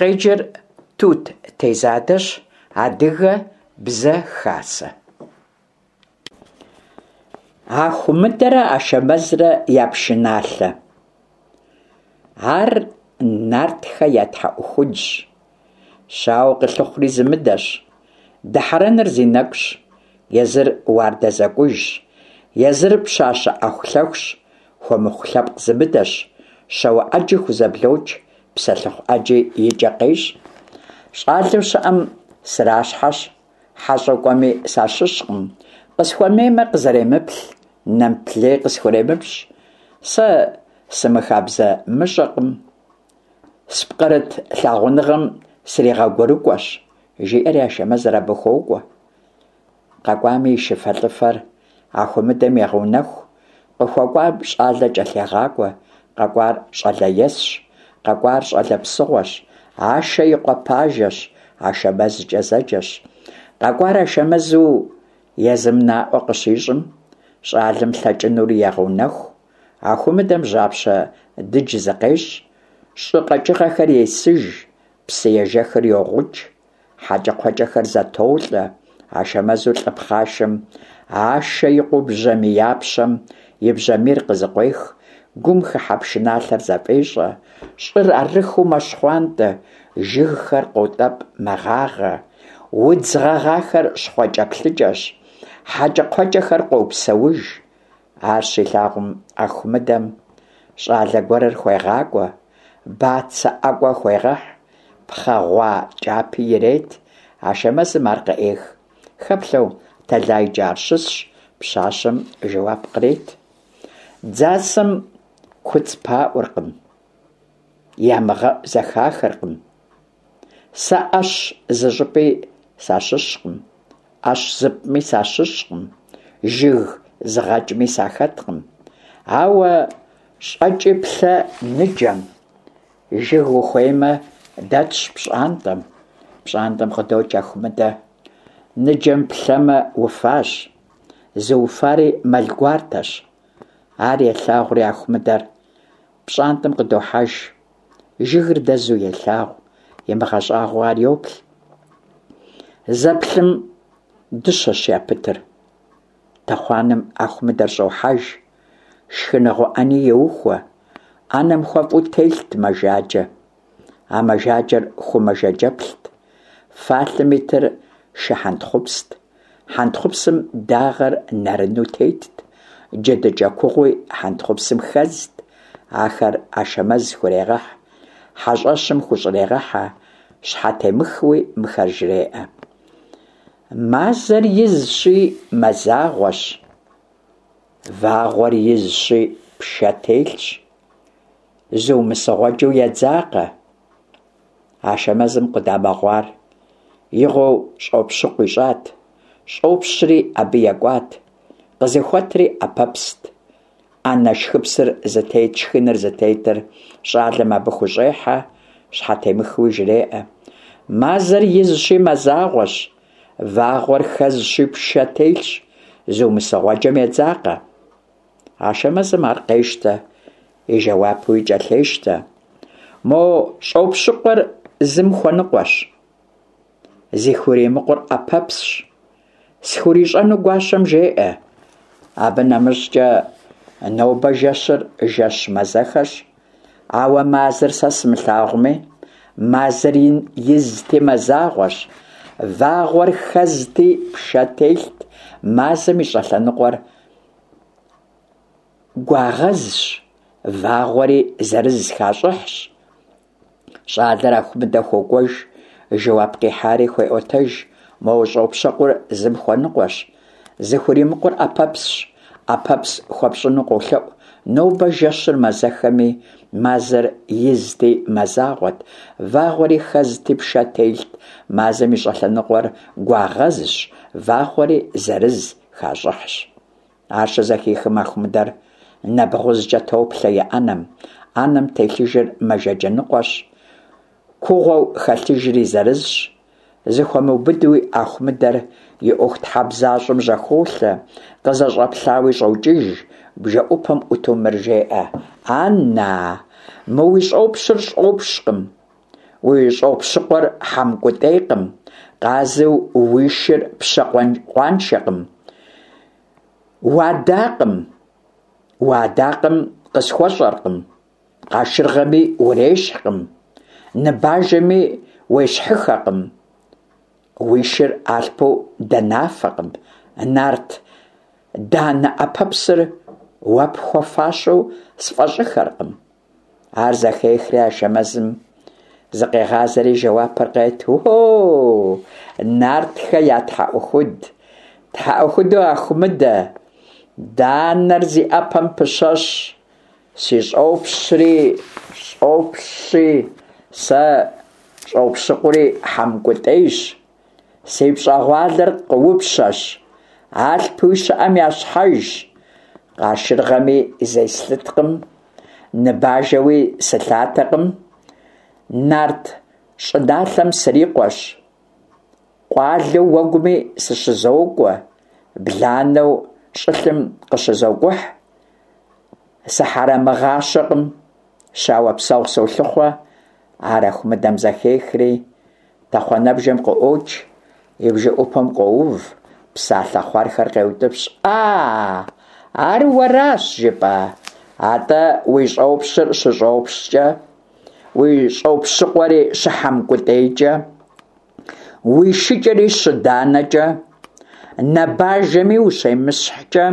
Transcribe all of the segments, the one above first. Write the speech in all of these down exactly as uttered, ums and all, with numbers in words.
Къеджэр Тут Тезадэщ. Адыгэ Бзэ Хасэ. Ахумыдэрэ Ашэмэзрэ я пшыналъэ. Ар нартхэ я тхьэӀухудщ. Щауэ къылъыхъури зымыдэщ. Дыхьэрэныр зи нэкӀущ. Езыр уардэ зэкӀужщ. Езыр пщащэ Ӏэхулъэхущ. Хуэмыхъу лъэпкъ зымыдэщ. Щауэ Ӏэджи хузэблокӀ, псэлъыхъу Ӏэджи и кӀэ къещӀ. ЩӀалэу щыӀэм сращхьэщ, хьэщӀэу кӀуэми сащыщкъым. Къысхуэмеймэ, къызэремыплъ, нэмыплъ лей къысхуремыпщӀ. Сэ сымыхабзэмыщӀэкъым, спкърыт лъагъуныгъэм сригъэгурыкӀуэщ, жиӀэри Ашэмэзыр абы хуокӀуэ. КъэкӀуами и шыфэлӀыфэр Ахумыдэм егъэунэху, къыхуэкӀуам щӀалэ кӀэлъегъакӀуэ. КъэкӀуар щӀалэ есщ, къэкӀуар щӀалэ псыгъуэщ, Ашэ и къуэ пажэщ, АшэмэзкӀэ зэджэщ. КъэкӀуар Ашэмэзу езым наӀуэ къыщищӀым, щӀалэм лъэкӀынури егъэунэху. Ахумыдэм жьапщэ дыдж зыкъещӀ, щӀы къэкӀыгъэхэр есыж, псыежэхыр йогъукӀ, хьэкӀэкхъуэкӀэхэр зэтолӀэ. Ашэмэзу лӀы пхъашэм, Ашэ и къуэу бжьамияпщэм и бжьамийр къызыкъуех, гум хыхьэ пшыналъэр зэфӀещӀэ, щӀыр арыххэу мэщхъуантӀэ, жыгхэр къотӀэпӀ, мэгъагъэ, удз гъэгъахэр щхъуэкӀэплъыкӀэщ, хьэкӀэкхъуэкӀэхэр къопсэуж. Ар щилъагъум, Ахумыдэм щӀалэ гуэрыр хуегъакӀуэ, бацэ ӀэкӀуэ хуегъэхь, пхъэ гъуа кӀапи ирет. Ашэмэзым ар къыӀех. Хэплъэу тэлайкӀэ ар щысщ, пщащэм жэуап кърет. Дзасэм куцӀ паӀуркъым, ямыгъэӀу зэхахыркъым. Сэ Ӏэщ зыщӀыпӀи сащыщкъым, Ӏэщ зыпӀми сащыщкъым, жыг зыгъэкӀми сахэткъым. Ауэ щӀэкӀи плъэ ныджэм, жыг ухуеймэ, дэтщ пщӀантӀэм. ПщӀантӀэм къыдокӀ Ахумыдэ. Ныджэм плъэмэ, уфащ, зыуфари мэл гуартэщ. Ар елъагъури Ахумыдэр пщӀантӀэм къыдохьэж. Жыгыр дэзу елъагъу, имыгъэщӀагъуэу ар йоплъ. Зэплъым дыщэщ япытыр. Тэхъуанэм Ахумыдэр щӀохьэж, шхыныгъуэ Ӏэни еухуэ. Ӏэнэм хуэфӀу телът мэжаджэ. А мэжаджэр ху мэжаджэплът. Фалъэм итыр шы хьэнтхъупст. Хьэнтхъупсым дагъэр нарыну тетт, джэдыкӀэ кугъуи хьэнтхъупсым хэзт. Ахэр Ашэмэз хурегъэхь, хьэщӀэщым хущӀрегъэхьэ, щхьэтемыхыуи мыхэр жреӀэ: Мазэр изщи, мазагъуэщ, вагъуэр изщи, пшэ телъщ, зумысыгъуэджэу едзакъэ. Ашэмэзым къудамэ гъуар игъуэу щӀопщыкъу ищӀат, щӀопщри абы екӀуат, къызыхуэтри Ӏэпэпст. Ӏэнэ шхыпсыр зытет, шхыныр зытетыр щӀалэм абы хущӀехьэ, щхьэтемыхыуи жреӀэ: Мазэр изщи, мазагъуэщ, вагъуэр хэзщи, пшэ телъщ, зумысыгъуэджэм едзакъэ. Ашэмэзым ар къещтэ, и жэуапуи кӀэлъещтэ: Мо щӀопщыкъуэр зым хуэныкъуэщ, зыхуримыкъур Ӏэпэпсщ, схурищӀэну гуащэм жеӀэ. Абы нэмыщӀкӀэ нобэ жэщыр жэщ мазэхэщ, ауэ мазэр сэ сымылъагъуми, мазэр изти мазагъуэщ, вагъуэр хэзти пшэ телът, мазэм и щӀэлъэныкъуэр гуагъэзщ, вагъуэри зэрыз хащӀыхьщ. ЩӀалэр Ахумыдэ хуокӀуэж, жэуап къихьари хуеӀуэтэж: Мо щӀопщыкъур зым хуэныкъуэщ, зыхуримыкъур Ӏэпэпсщ, Ӏэпэпс хуэпщӀыну къолъэӀу. Нобэ жэщыр мазэхэми, мазэр изти мазагъуэт, вагъуэри хэзти пшэ телът, мазэм и щӀэлъэныкъуэр гуагъэзщ, вагъуэри зэрыз хащӀыхьщ. Ар щызэхихым, Ахумыдэр нэбгъузкӀэ топлъэ и Ӏэнэм. Ӏэнэм телъыжыр мэжаджэ ныкъуэщ, кугъуэу хэлъыжри зырызщ. Зыхуэмыубыдуи Ахумыдэр и ӀуэхутхьэбзащӀэм жьэхолъэ, къызэщӀэплъауи щӀокӀыж, бжэӀупэм Ӏуту мыр жеӀэ: Ан-на, мы уи щӀопщыр щӀопщкъым, уи щӏопщыкъуэр хьэмкӏутӏейкъым, къазу уи шыр пщэ къуаншэкъым, уадакъым, уадакъэм къысхуэщӏэркъым, къашыргъэми урещхькъым, ныбажэми уещхьыххэкъым, уи шыр алъпу данафэкъым, нарт данэ ӏэпэпсыр уэ пхуэфащэу сфӏэщӏыххэркъым. Ар зэхехри Ашэмэзым зыкъегъазэри жэуапыр къет: Уо, нартхэ я тхьэӏухуд, тхьэӏухуду Ахумыдэ, данэр зи ӏэпэм пыщэщ, си щӏопщри щӏопщщи, сэ щӏопщыкъури хьэмкӏутӏейщ, си пщӏэгъуалэр къыупщэщ, алъпуи щыӏэм я щхьэжщ, къашыргъэми зеслъыткъым, ныбажэуи сылъатэкъым, нарт щӏыналъэм срикъуэщ, къуалэу уэгуми сыщызокӏуэ, бланэу щӏылъэм къыщызокӏухь, сыхьэрэмыгъащэкъым, щауэ псэгъу солъыхъуэ. Ар Ахумыдэм зэхехри, тэхъуанэбжэм къыӏуокӏ, и бжэӏупэм къоув, псалъэ хъуэрхэр къеутӏыпщ: А, ар уэращ жыпӏа? Атӏэ уи щӏопщыр щыщӏопщкӏэ, уи щӏопщыкъуэри щыхьэмкӏутӏейкӏэ, уи шыкӏэри щыданэкӏэ, нэбажэми ущемыщхькӏэ,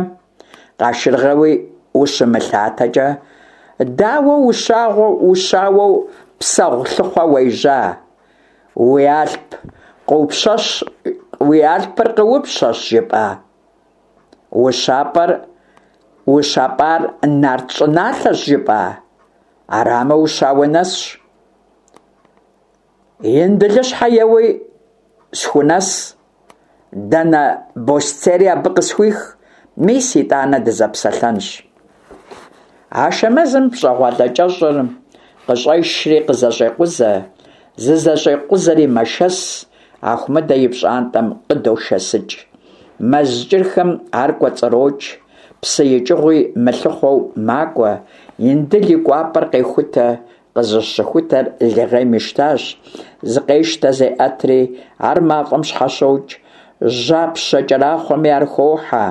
къашыргъэуи ущымылъатэкӏэ, дауэ ущауэу псэгъу лъыхъуэ уежьа? Уи алъп къыупщэщ, уи алъпыр къыупщэщ жыпӏа? Ущапӏэр ущапӏар нарт щӏыналъэщ жыпӏа? Арамэ, ущауэ нэсщ. Индылыщхьэ еуи схунэс, данэ босцейри абы къысхуих, мис итӏанэ дызэпсэлъэнщ. Ашэмэзым пщӏэгъуалэ кӏэщӏыр къыщӏешри къызэщӏекъузэ, зызэщӏекъузэри мэшэс, Ахумыдэ и пщӏантӏэм къыдошэсыкӏ. Мэз кӏырхэм ар кӏуэцӏрокӏ, псы икӏыгъуи мылъыхъуэу макӏуэ, Индыл и кӏуапӏэр къехутэ, къызыщыхутэр лыгъейм ищтащ, зыкъещтэ зеӏэтри, ар мафӏэм щхьэщокӏ, жьапщэ кӏэрахъуэми ар хохьэ,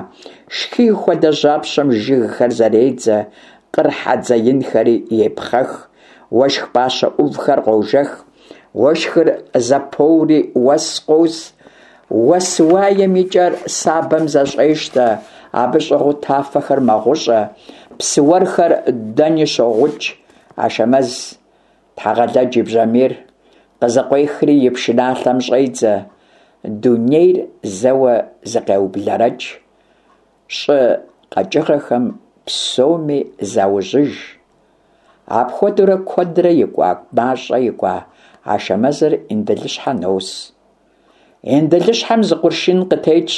шхий хуэдэ жьапщэм жыгхэр зэредзэ, къыр хьэдзэ инхэри епхъэх, уэшх пӏащэ ӏувхэр къожэх, уэшхыр зэпоури уэс къос, уэс уаем и кӏэр сабэм зэщӏещтэ, абы щӏыгъуу тафэхэр мэгъущӏэ, псы уэрхэр дэни щогъукӏ. Ашэмэз Тхьэгъэлэдж и бжьамийр къызэкъуехри и пшыналъэм щӏедзэ, дунейр зэуэ зыкъеублэрэкӏ, щӏы къэкӏыгъэхэм псоми заужьыж. Апхуэдэурэ куэдрэ икӏуа, мащӏэ икӏуа, Ашэмэзыр Индылыщхьэ нос. Индылыщхьэм зы къурш ин къытетщ,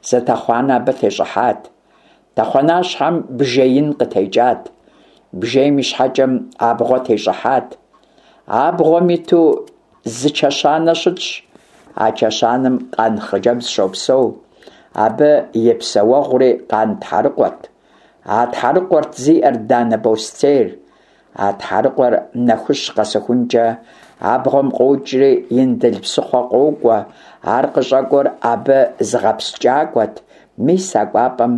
зы тэхъуанэ абы тещӏыхьат. Тэхъуанащхьэм бжей ин къытекӏат, бжейм и щхьэкӏэм абгъуэ тещӏыхьат. Абгъуэм иту зы чэщанэ щытщ, а чэщанэм къан хъыджэбз щопсэу. Абы и псэуэгъури къан тхьэрыкъуэт. А тхьэрыкъуэрт зиӏэр данэ босцейр. А тхьэрыкъуэр нэхущ къэсыхункӏэ абгъуэм къокӏри Индыл псыхъуэ къокӏуэ. Ар къыщӏэкӏуэр абы зыгъэпскӏакӏуэт. Мис а кӏуапӏэм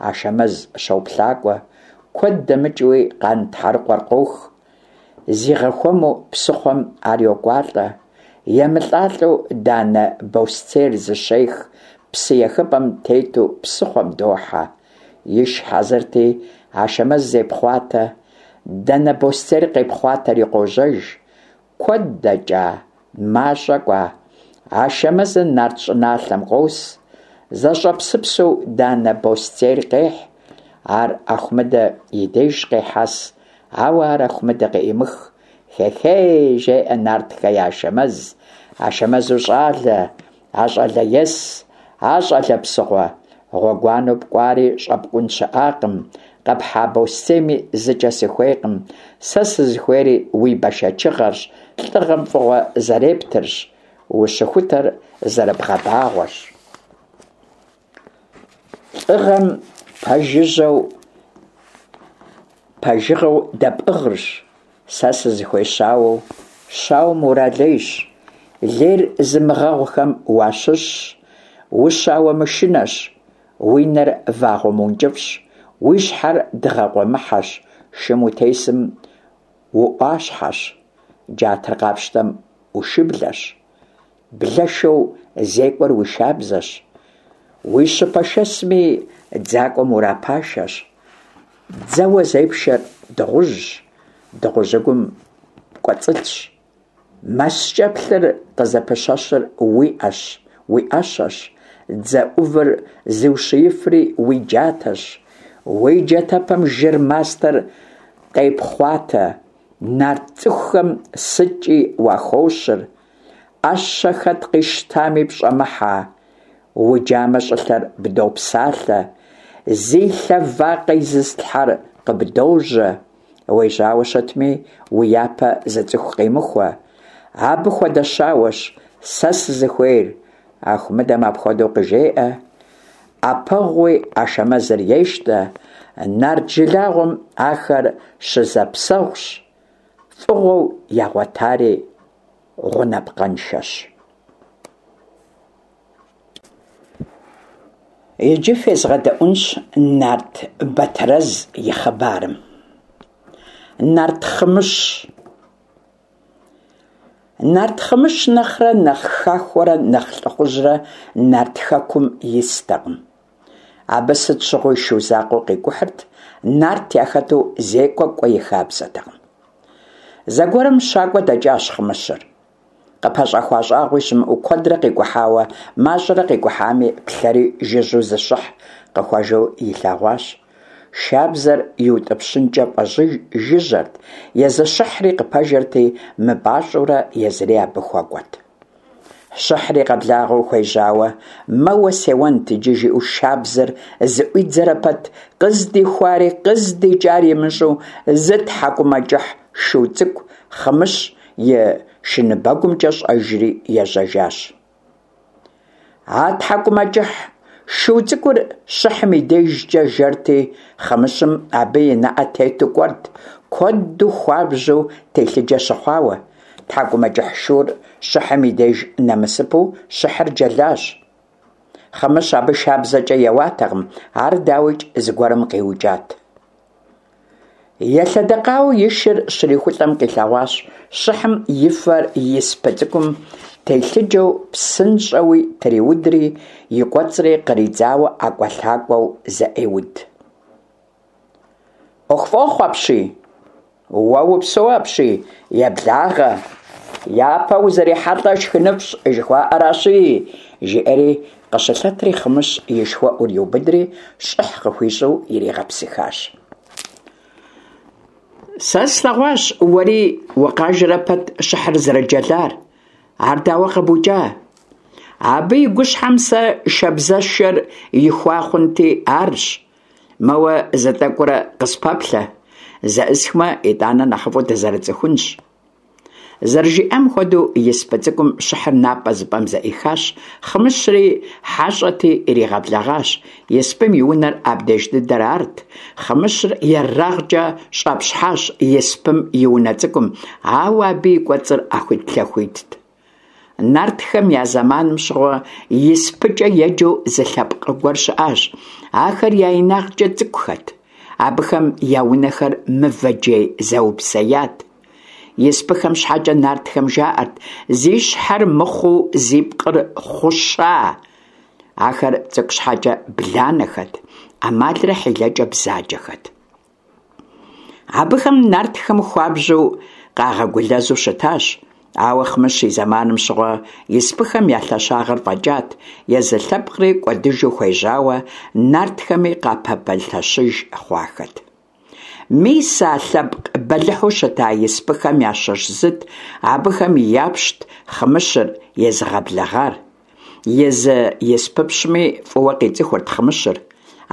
Ашэмэз щоплъакӏуэ. Куэд дэмыкӏыуи къан тхьэрыкъуэр къох. Зигъэхуэму псыхъуэм ар йокӏуалӏэ. Емылӏалӏэу данэ босцейр зыщех, псы ехыпӏэм тету псыхъуэм дохьэ. Иш хьэзырти, Ашэмэз зепхъуатэ, данэ босцейр къепхъуатэри къожьэж. Куэд дэкӏа, мащӏэ кӏуа, Ашэмэзыр нарт щӏыналъэм къос, зэщӏэпсыпсэу данэ босцейр къехь, ар Ахумыдэ и деж къехьэс, ауэ ар Ахумыдэ къеӏимых. Хехей, жеӏэ нартхэ я Ашэмэз, Ашэмэзу щӏалэ, а щӏалэ ес, а щӏалэ псыгъуэ, гъуэгуанэу пкӏуари щӏэпкӏун щыӏакъым, къэпхьа босцейми зыкӏэ сыхуейкъым, сэ сызыхуейри уи бэшэчыгъэрщ, лӏыгъэм фӏыгъуэ зэрептырщ, ущыхутэр зэрыбгъэбагъуэрщ. Лӏыгъэм пэжыжьэу пэжыгъэу дэпӏыгъырщ сэ сызыхуей щауэу Щауэм уралейщ, лейр зымыгъэгъухэм уащыщщ, ущауэмышынэщ, уи нэр вагъуэ мыункӏыфӏщ, уи щхьэр дыгъэ къуэмыхьэщ, шым утесым уӏуащхьэщ, джатэр къапщтэм ушыблэщ, блэшэу зекӏуэр уи шабзэщ, уи щыпэ шэсми дзакӏуэм урапашэщ, дзэуэ зепшэр дыгъужьщ, дыгъужьыгум пкӏуэцӏылъщ, маскӏэплъыр къызыпыщэщыр уи ӏэщэщ, дзэ ӏувыр зыущиифри уи джатэщ, уи джатэпэм жыр мастэр къепхъуатэ, нарт цӏыхухэм сыткӏи уахощыр, ӏэщэ хэт къищтами пщӏэмыхьэ, уджамэ щӏылъэр бдопсалъэ, зи лъэ вакъэ изыслъхьэр къыбдожьэ, уежьауэ щытми, уи япэ зы цӏыху къимыхуэ, абы хуэдэ щауэщ сэ сызыхуейр. Ахумыдэм апхуэдэу къыжеӏэ, ӏэпэгъуи Ашэмэзыр ещтэ, нарт жылагъуэм ахэр щызэпсэгъущ, фӏыгъуэу ягъуэтари гъунапкъэншэщ. Иджы фезгъэдэӏунщ нарт Батэрэз и хъыбарым. Нарт Хъымыщ. Нарт Хъымыщ нэхърэ нэхъ хахуэрэ нэхъ лӏыхъужьрэ нарт хэкум истэкъым. Абы сыт щыгъуи шу закъуэу къикӏухьырт, нарт яхэту зекӏуэ кӏуэ и хабзэтэкъым. Зэгуэрым щакӏуэ дэкӏащ Хъымыщыр. Къыпэщӏэхуа щӏагъуи щымыӏэу куэдрэ къикӏухьауэ, мащӏэрэ къикӏухьами, плъэри жыжьэу зы щыхь къыхуэжэу илъэгъуащ. Шабзэр иутӏыпщынкӏэ фӏэжыжьэрт, езы щыхьри къыпэжэрти, мыпӏащӏэурэ езыри абы хуэкӏуэт. Щыхьри къэблагъэу хуежьауэ, мэуэ сеуэнт иджы жиӏэу шабзэр зыӏуидзэрэ пэт, къыздихуари къыздикӏари имыщӏэу зы тхьэкӏумэкӏыхь шу цӏыкӏу Хъымыщ и шыныбэгумкӏэ щӏэжри ежьэжащ. А тхьэкӏумэкӏыхь шу цӏыкӏур щыхьым и дежкӏэ жэрти, Хъымыщым абы и нэӏэ тету кӏуэрт, куэду хуабжьу телъыджэ щыхъуауэ. Тхьэкӏумэкӏыхь шур щыхьым и деж нэмысыпэу щыхьыр джэлащ. Хъымыщ абы шабзэкӏэ еуатэкъым, ар, дауикӏ, зыгуэрым къиукӏат. Елъэдэкъауэу и шыр щрихулӏэм къилъэгъуащ щыхьым и фэр испы цӏыкӏум телъыджэу псынщӏэуи триудри, и кӏуэцӏри къридзауэ ӏэкӏуэлъакӏуэу зэӏеуд. ӏуэху фӏохъу апщий! Уэ упсэу апщий, еблагъэ! Япэ узэрихьэлӏэ шхыныфӏщ жыхуаӏэращи, жиӏэри къыщылъэтри Хъымыщ и шхуэӏур иубыдри щӏыхь къыхуищӏу иригъэпсыхащ. Сэ слъэгъуащ уэри укъажэрэ пэт щыхьыр зэрыджэлар. Ар дауэ къэбукӏа? Абы и гущхьэм сэ шабзэшэр ихуа хъунти арщ. Мэуэ зы тӏэкӏурэ къыспэплъэ, зэӏысхмэ, итӏанэ нэхъыфӏу дызэрыцӏыхунщ. Зэрыжиӏам хуэдэу испы цӏыкӏум щыхьыр напӏэ зыпӏэм зэӏихащ, Хъымыщри хьэщӏэти иригъэблэгъащ. Испым и унэр абдеж дыдэр арт. Хъымыщыр ерагъкӏэ щӏэпщхьащ испым и унэ цӏыкӏум, ауэ абы и кӏуэцӏыр ӏэхуитлъэхуитт. Нартхэм я зэманым щыгъуэ испыкӏэ еджэу зы лъэпкъ гуэр щыӏащ. Ахэр я инагъкӏэ цӏыкӏухэт. Абыхэм я унэхэр мывэ джей зэупсеят. Испыхэм щхьэкӏэ нартхэм жаӏэрт: зи щхьэр мыхъуу зи пкъыр хъуща. Ахэр цӏыкӏу щхьэкӏэ бланэхэт, ӏэмалрэ хьилэкӏэ бзаджэхэт. Абыхэм нартхэм хуабжьу къагъэгулэзу щытащ. Ауэ Хъымыщ и зэманым щыгъуэ испыхэм я лъэщагъыр фӏэкӏат, езы лъэпкъри кӏуэдыжу хуежьауэ, нартхэми къапэмылъэщыж хъуахэт. Мис а лъэпкъ бэлыхьу щыта испыхэм ящыщ зыт абыхэм япщт Хъымыщыр езыгъэблэгъар. Езы испыпщми фӏыуэ къицӏыхурт Хъымыщыр.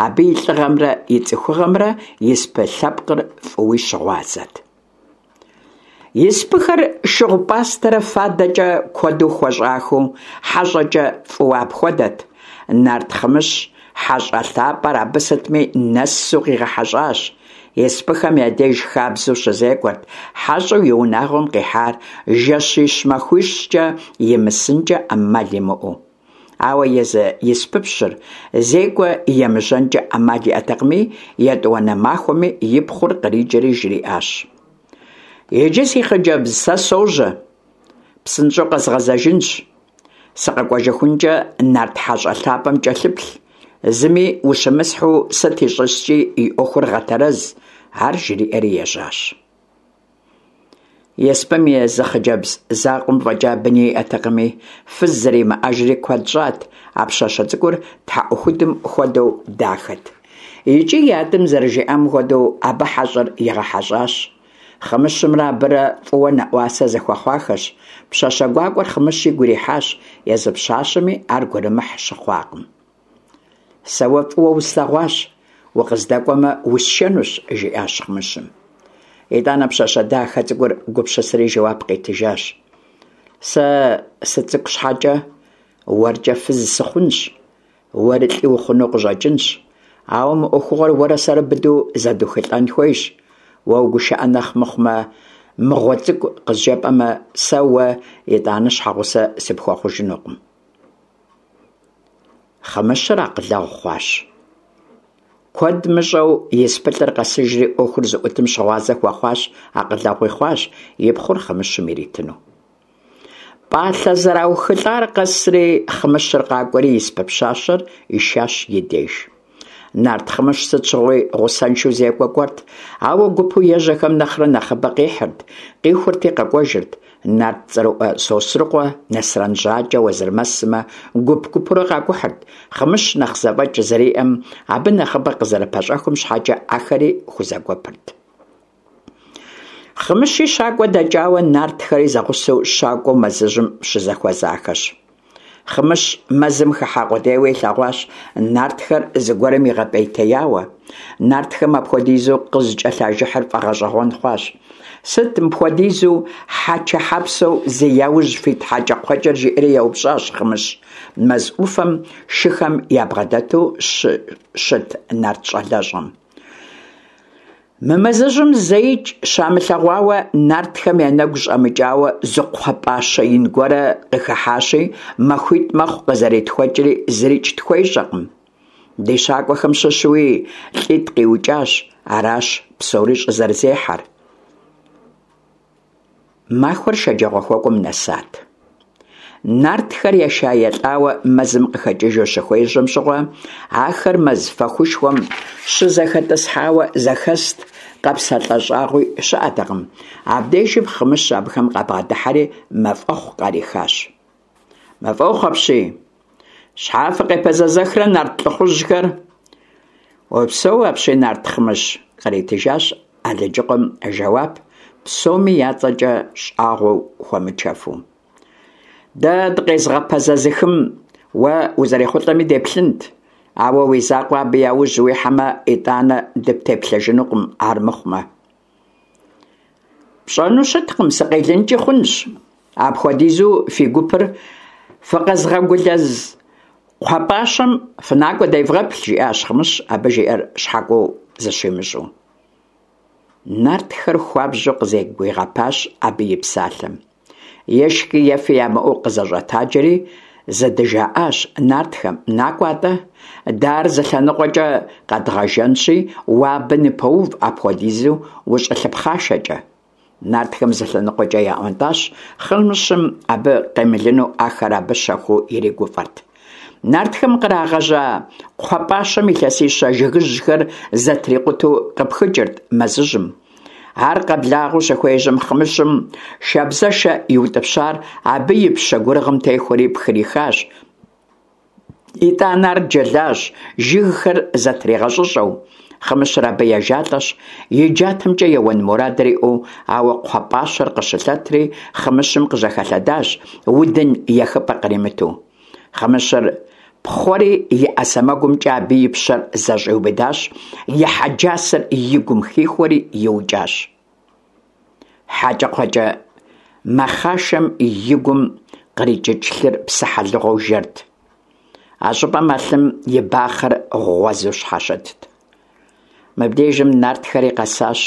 Абы и лӏыгъэмрэ и цӏыхугъэмрэ испы лъэпкъыр фӏыуи щыгъуазэт. Испыхэр шыгъу-пӏастэрэ фадэкӏэ куэду хуэщӏахэу, хьэщӏэкӏэ фӏыуэ апхуэдэт. Нарт Хъымыщ хьэщӏэ лъапӏэр абы сытми нэсу къигъэхьэщӏащ. Испыхэм я деж хабзэу щызекӏуэрт хьэщӏэу и унагъуэм къихьар жэщищ-махуищкӏэ имысынкӏэ ӏэмал имыӏэу. Ауэ езы испыпщыр зекӏуэ емыжьэнкӏэ ӏэмал иӏэтэкъыми, етӏуанэ махуэми и пхъур къриджэри жриӏащ: «Иджы, си хъыджэбз, сэ сожьэ, псынщӏэу къэзгъэзэжынщ. Сыкъэкӏуэжыхункӏэ нарт хьэщӏэ лъапӏэм кӏэлъыплъ, зыми ущымысхьу сыт ищӏыскӏи и ӏуэхур гъэтэрэз», ар жриӏэри ежьащ. Испым и зы хъыджэбз закъуэм фӏэкӏа быни иӏэтэкъыми, фыз зэримыӏэжри куэд щӏат, а пщащэ цӏыкӏур тхьэӏухудым хуэдэу дахэт. Икӏи и адэм зэрыжиӏам хуэдэу абы хьэщӏэр игъэхьэщӏащ. Хъымыщымрэ абырэ фӏыуэ нэӏуасэ зэхуэхъуахэщ. Пщащэ гуакӏуэр Хъымыщ игу ирихьащ, езы пщащэми ар гурымыхь щыхъуакъым. «Сэ уэ фӏыуэ услъэгъуащ, укъыздэкӏуэмэ, усшэнущ», – жиӏащ Хъымыщым. Итӏанэ пщащэ дахэ цӏыкӏур гупсысэри жэуап къитыжащ: «Сэ сыцӏыкӏу щхьэкӏэ уэркӏэ фыз сыхъунщ, уэри лӏы ухъуну къыщӏэкӏынщ, ауэ мы ӏуэхугъуэр уэрэ сэрэ быдэу зэдухылӏэн хуейщ. Уэ угушыӏэ нэхъ мыхъумэ, мыгъуэ цӏыкӏу къызжепӏэмэ, сэ уэ итӏанэ щхьэгъусэ сыпхуэхъужынукъым». Хъымыщыр акъылэгъу хъуащ. Куэд мыщӏэу испылӏыр къэсыжри ӏуэхур зыӏутым щыгъуазэ хуэхъуащ, акъылэгъуи хъуащ и пхъур Хъымыщым иритыну. Пӏалъэ зэраухылӏар къэсри, Хъымыщыр къакӏуэри испы пщащэр ишащ и деж. Нарт Хъымыщ сыт щыгъуи гъусэншэу зекӏуэ кӏуэрт, ауэ гупу ежьэхэм нэхърэ нэхъыбэ къихьырт, къихурти къэкӏуэжырт. Нарт цӏэрыӏуэ Сосрыкъуэ, Нэсрэн Жьакӏэ, Уэзырмэс сымэ гуп-гупурэ къакӏухьырт. Хъымыщ нэхъ зэфӏэкӏ зэриӏэм, абы нэхъыбэ къызэрыпэщӏэхум щхьэкӏэ ахэри хузэгуэпырт. Хъымыщи щакӏуэ дэкӏауэ, нартхэри зэгъусэу щакӏуэу мэзыжьым щызэхуэзахэщ. Хъымыщ мэзым хыхьа къудейуэ илъэгъуащ нартхэр зыгуэрым игъэпӏейтеяуэ. Нартхэм апхуэдизу къызыкӏэлъажыхьыр фӏэгъэщӏэгъуэн хъуащ. «Сыт мыпхуэдизу хьэчэхьэпсэу зи яужь фит хьэкӏэкхъуэкӏэр?» жиӏэри еупщӏащ Хъымыщ мэз ӏуфэм шыхэм ябгъэдэту щыт нарт щӏалэщӏэм. Мы мэзыжьым зэикӏ щамылъэгъуауэ, нартхэм я нэгу щӏэмыкӏауэ зы кхъуэпӏащэ ин гуэрэ къыхыхьащи, махуитӏ мэхъу къызэретхуэкӏри зырикӏ тхуещӏэкъым. Ди щакӏуэхэм щыщуи лӏитӏ къиукӏащ, аращ псори щӏызэрызехьэр. Махуэр шэджагъуэхуэкӏуэм нэсат. Нартхэр еша-елӏауэ мэзым къыхэкӏыжу щыхуежьэм щыгъуэ, ахэр мэз фэхушхуэм щызэхэтӏысхьауэ зэхэст, къэпсэлъэ щӏагъуи щыӏэтэкъым. Абдежым Хъымыщ абыхэм къабгъэдыхьэри мафӏэхъу къарихащ. «Мафӏэхъу апщий! Щхьэ фыкъепэзэзэхрэ нарт лӏыхъужьхэр?» «Упсэу апщий, нарт Хъымыщ!» къритыжащ Алыджыкъуэм жэуап, псоми я цӏэкӏэ щӏагъуэу хуэмычэфу. «Дэ дыкъезыгъэпэзэзыхым уэ узэрехъулӏэми деплъынт, ауэ уи закъуэ абы яужь уихьэмэ, итӏанэ дыптеплъэжынукъым армыхъумэ». «Пщӏэну щыткъым, сыкъелынкӏи хъунщ. Апхуэдизу фи гупыр фыкъэзыгъэгулэз кхъуэпӏащэм фынакӏуэ девгъэплъ», жиӏащ Хъымыщ, абы жиӏэр щхьэкӏуэу зыщимыщӏу. Нартхэр хуабжьу къызэгуигъэпащ абы и псалъэм. Ешхи ефи ямыӏэу къызэщӏэтаджэри зэдыжаӏащ нартхэм: «Накӏуэ атӏэ, дэ ар зы лъэныкъуэкӏэ къэдгъэжэнщи, уэ абы ныпэув апхуэдизу ущӏылъыпхъашэкӏэ». Нартхэм зы лъэныкъуэкӏэ яӏуэнтӏащ, Хъымыщым абы къемылыну ахэр абы щэхуу иригуфӏэрт. Нартхэм кърагъэжьа кхъуэпӏащэм илъэсищэ жыгыжьхэр зэтрикъутэу къыпхыкӏырт мэзыжьым. Ар къэблагъэу щыхуежьэм, Хъымыщым шабзэшэ иутӏыпщар абы и пщэ гурыгъым техуэри пхрихащ. Итӏанэ ар джэлащ, жыгхэр зэтригъэщӏыщӏэу. Хъымыщыр абы ежалӏэщ, и джатэмкӏэ еуэн мурадыр иӏэу, ауэ кхъуэпӏащэр къыщылъэтри Хъымыщым къыжьэхэлъэдащ, удын ехыпӏэ къримыту. Хъымыщыр пхъуэри и ӏэ сэмэгумкӏэ абы и пщэр зэщӏиубыдащ, и хьэджасэр и гум хихуэри иукӏащ. Хьэкӏэкхъуэкӏэ мэхъашэм и гум кърикӏыкӏ лъыр псыхьэлыгъуэу жэрт. А щӏыпӏэм а лъым и бахъэр гъуэзу щхьэщытт. Мыбдежым нартхэри къэсащ.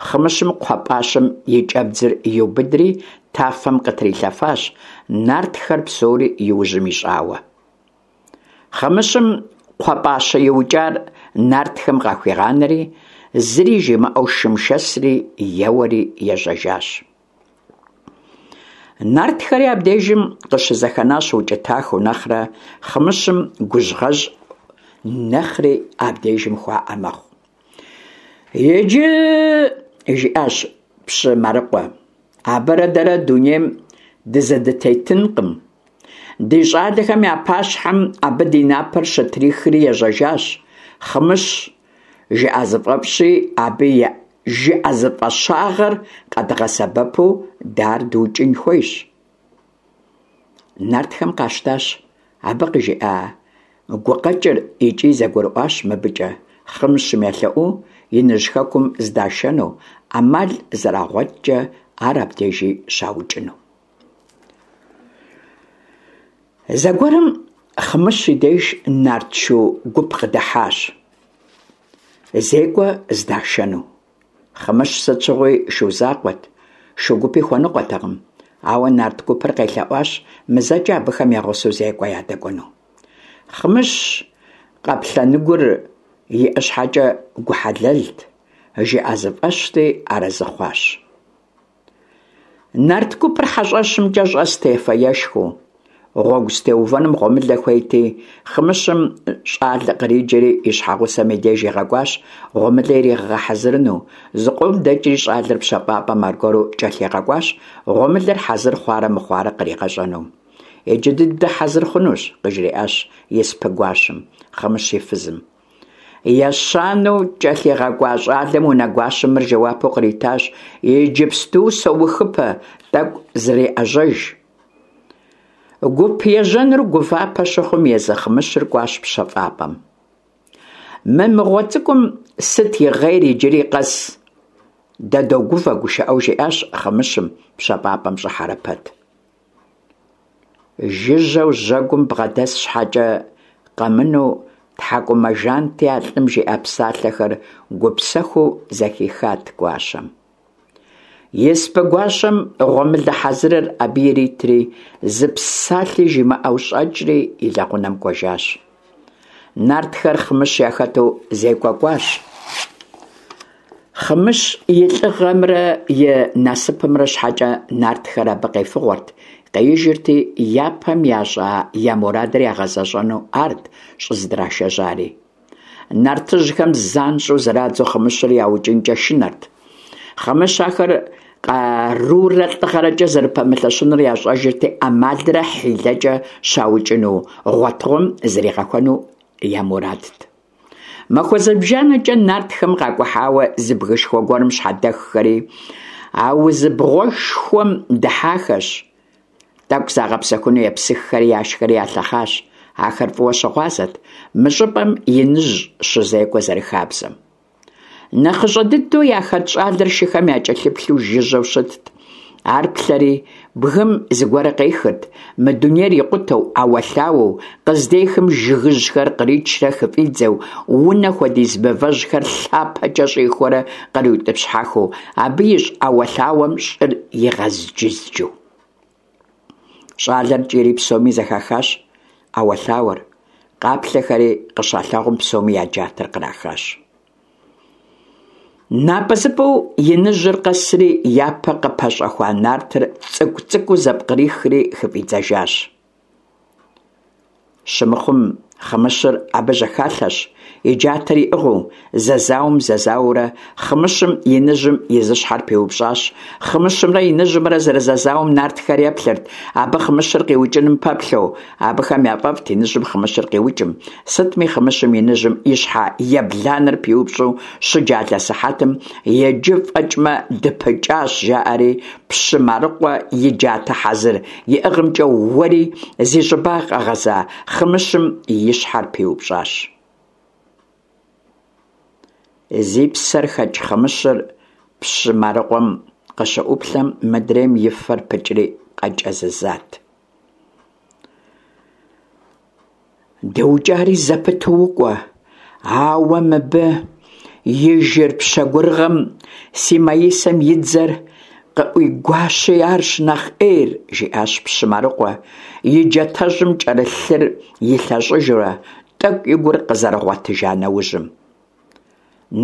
Хъымыщым кхъуэпӀащэм и кӀэбдзыр иубыдри тафэм къытрилъэфащ, нартхэр псори и ужьым ищӀауэ. Хъымыщым кхъуэпӀащэ иукӀар нартхэм къахуигъанэри, зыри жимыӀэу шым шэсри еуэри ежьэжащ. Нартхэри абдежым къыщызэхэнащ укӀытахэу нэхърэ, Хъымыщым гужьгъэжь нэхъри абдежым хуаӀэ мэхъу. Иджы, жиӀащ пщы Марыкъуэ, абырэ дэрэ дунейм дызэдытетынкъым. Ди щӀалэхэм я пащхьэм абы ди напэр щытрихри ежьэжащ. Хъымыщ жыӀэзыфӀэфӀщи, абы и жыӀэзыфӀэщагъэр къэдгъэсэбэпу дэ ар дыукӀын хуейщ. Нартхэм къащтащ абы къыжиӀа гукъэкӀыр икӀи зэгурыӀуащ мыбыкӀэ, Хъымыщым елъэӀуу иныжь хэкум здашэну, Ӏэмал зэрагъуэткӀэ ар абдежи щаукӀыну. Зэгуэрым Хъымыщ и деж нарт шу гуп къыдыхьащ, зекӀуэ здашэну. Хъымыщ сыт щыгъуи шу закъуэт, шу гупи хуэныкъуэтэкъым, ауэ нарт гупыр къелъэӀуащ мызэкӀэ абыхэм я гъусэу зекӀуэ ядэкӀуэну. Хъымыщ къаплъэныгур иӀэ щхьэкӀэ гу хьэлэлт, жыӀэзыфӀэщти, арэзы хъуащ. Нарт гупыр хьэщӀэщымкӀэ щӀэст ефэ-ешхэу. Гъуэгу здытеувэнум гъуэмылэ хуейти, Хъымыщым щӀалэ къриджэри и щхьэгъусэм и деж игъэкӀуащ гъуэмылэ иригъэгъэхьэзырыну. Зыкъом дэкӀри щӀалэр пщэфӀапӀэм аргуэру кӀэлъигъэкӀуащ, гъуэмылэр хьэзыр хъуарэ мыхъуарэ къригъэщӀэну. Иджы дыдэ хьэзыр хъунущ, къыжриӀащ испы гуащэм, Хъымыщ и фызым. Ещанэу кӀэлъигъэкӀуа щӀалэм унэгуащэм мыр жэуапу къритащ: «Иджыпсту соухыпэ, тӀэкӀу зреӀэжьэж». Гуп ежьэнур гувапэ щыхъум, езы Хъымыщыр кӀуащ пщэфӀапӀэм. Мы мыгъуэ цӀыкӀум сыт игъейр иджыри къэс? Дэ догувэ, гушыӀэу жиӀащ Хъымыщым, пщэфӀапӀэм щӀыхьэрэ пэт. Жыжьэу жьэгум бгъэдэс щхьэкӀэ къэмынэу, тхьэкӀумэ жанти а лӀым жиӀа псалъэхэр гупсэхуу зэхихат гуащэм. Испы гуащэм гъуэмылэ хьэзырыр абы иритри, зы псалъи жимыӀэу щӀэкӀри и лэгъунэм кӀуэжащ. Нартхэр Хъымыщ яхэту зекӀуэ кӀуащ. Хъымыщ и лӀыгъэмрэ и насыпымрэ щхьэкӀэ нартхэр абы къефыгъуэрт, къеижырти, япэм ящӀа я мурадыр ягъэзэщӀэну арт щӀыздрашэжьари. Нартыжьхэм занщӀэу зрадзу Хъымыщыр яукӀынкӀэ шынэрт. Хъымыщ ахэр къарурэ лӀыгъэрэкӀэ зэрыпэмылъэщынур ящӀэжырти, Ӏэмалрэ хьилэкӀэ щаукӀыну гъуэтыгъуэм зригъэхуэну я мурадт. Махуэ зыбжанэкӀэ нартхэм къакӀухьауэ зы бгышхуэ гуэрым щхьэдэххэри, аузыбгъуэшхуэм дыхьахэщ. ТӀэкӀу загъэпсэхуну епсыххэри яшхэри ялъэхъащ. Ахэр фӀыуэ щыгъуазэт мы щӀыпӀэм иныжь щызекӀуэ зэрыхабзэм. НэхъыщӀэ дыдэу яхэт щӀалэр шыхэм якӀэлъыплъу жыжьэу щытт. Ар плъэри, бгым зыгуэр къехырт, мы дунейр икъутэу, Ӏэуэлъауэу, къыздехым жыгыжьхэр къричрэ хыфӀидзэу, унэ хуэдиз мывэжьхэр лъапэкӀэ щӀихуэрэ къриутӀыпщхьэхыу, абы ищӀ Ӏэуэлъауэм щӀыр игъэзджызджу. ЩӀалэр кӀийри псоми зэхахащ Ӏэуэлъауэр, къаплъэхэри къыщалъагъум псоми я джатэр кърахащ. НапӀэзыпӀэу иныжьыр къэсри, япэ къыпэщӀэхуа нартыр цӀыкӀу-цӀыкӀуу зэпкърихри хыфӀидзэжащ. Щымыхъум, Хъымыщыр абы жьэхэлъэщ, и джатэр иӀыгъыу, зэзауэм зэзауэурэ, Хъымыщым иныжьым и зы щхьэр пиупщӀащ. Хъымыщымрэ иныжьымрэ зэрызэзауэм нартхэр еплъырт, абы Хъымыщыр къиукӀыным пэплъэу. Абыхэм яфӀэфӀт иныжьым Хъымыщыр къиукӀым. Сытми, Хъымыщым иныжьым и щхьэ ебланэр пиупщӀу щыджалэ сыхьэтым, иджы фӀэкӀмэ дыпыкӀащ, жаӀэри, пщы Марыкъуэ и джатэ хьэзыр иӀыгъымкӀэ уэри зи щӀыбагъ къэгъэза Хъымыщым и щхьэр пиупщӀащ. Зи псэр хэкӀ Хъымыщыр пщы Марыкъуэм къыщыӀуплъэм, мыдрейм и фэр пыкӀри къэкӀэзызат. ДыукӀари зэпыту укӀуэ, ауэ мыбы И жыр пщэгурыгъэм си маисэм и дзэр къыӀуигуащи арщ нэхъ Ӏейр, – жиӀащ пщы Марыкъуэ, и джатэжьым кӀэрылъ лъыр илъэщӀыжурэ, тӀэкӀу и гур къызэрыгъуэтыжа нэужьым.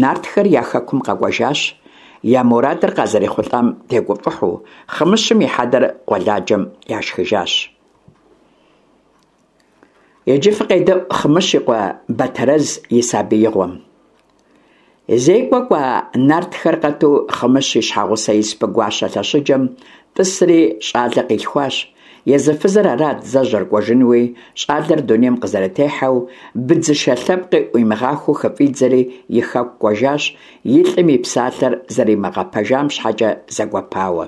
Нартхэр я хэкум къэкӀуэжащ, я мурадыр къазэрехъулӀам тегуфӀыхьу, Хъымыщым и хьэдэр къуэладжэм яшхыжащ. Иджы фыкъедэӀу Хъымыщ и къуэ Батэрэз и сабиигъуэм. ЗекӀуэ кӀуа нартхэр къэту Хъымыщ и щхьэгъусэ испы гуащэ лъэщыджэм тӀысри щӀалэ къилъхуащ. Езы фызыр арат зэжьэр кӀуэжынуи, щӀалэр дунейм къызэрытехьэу, быдзышэ лъэпкъи Ӏуимыгъахуэу хыфӀидзэри и хэку кӀуэжащ, и лӀым и псалъэр зэримыгъэпэжам щхьэкӀэ зэгуэпауэ.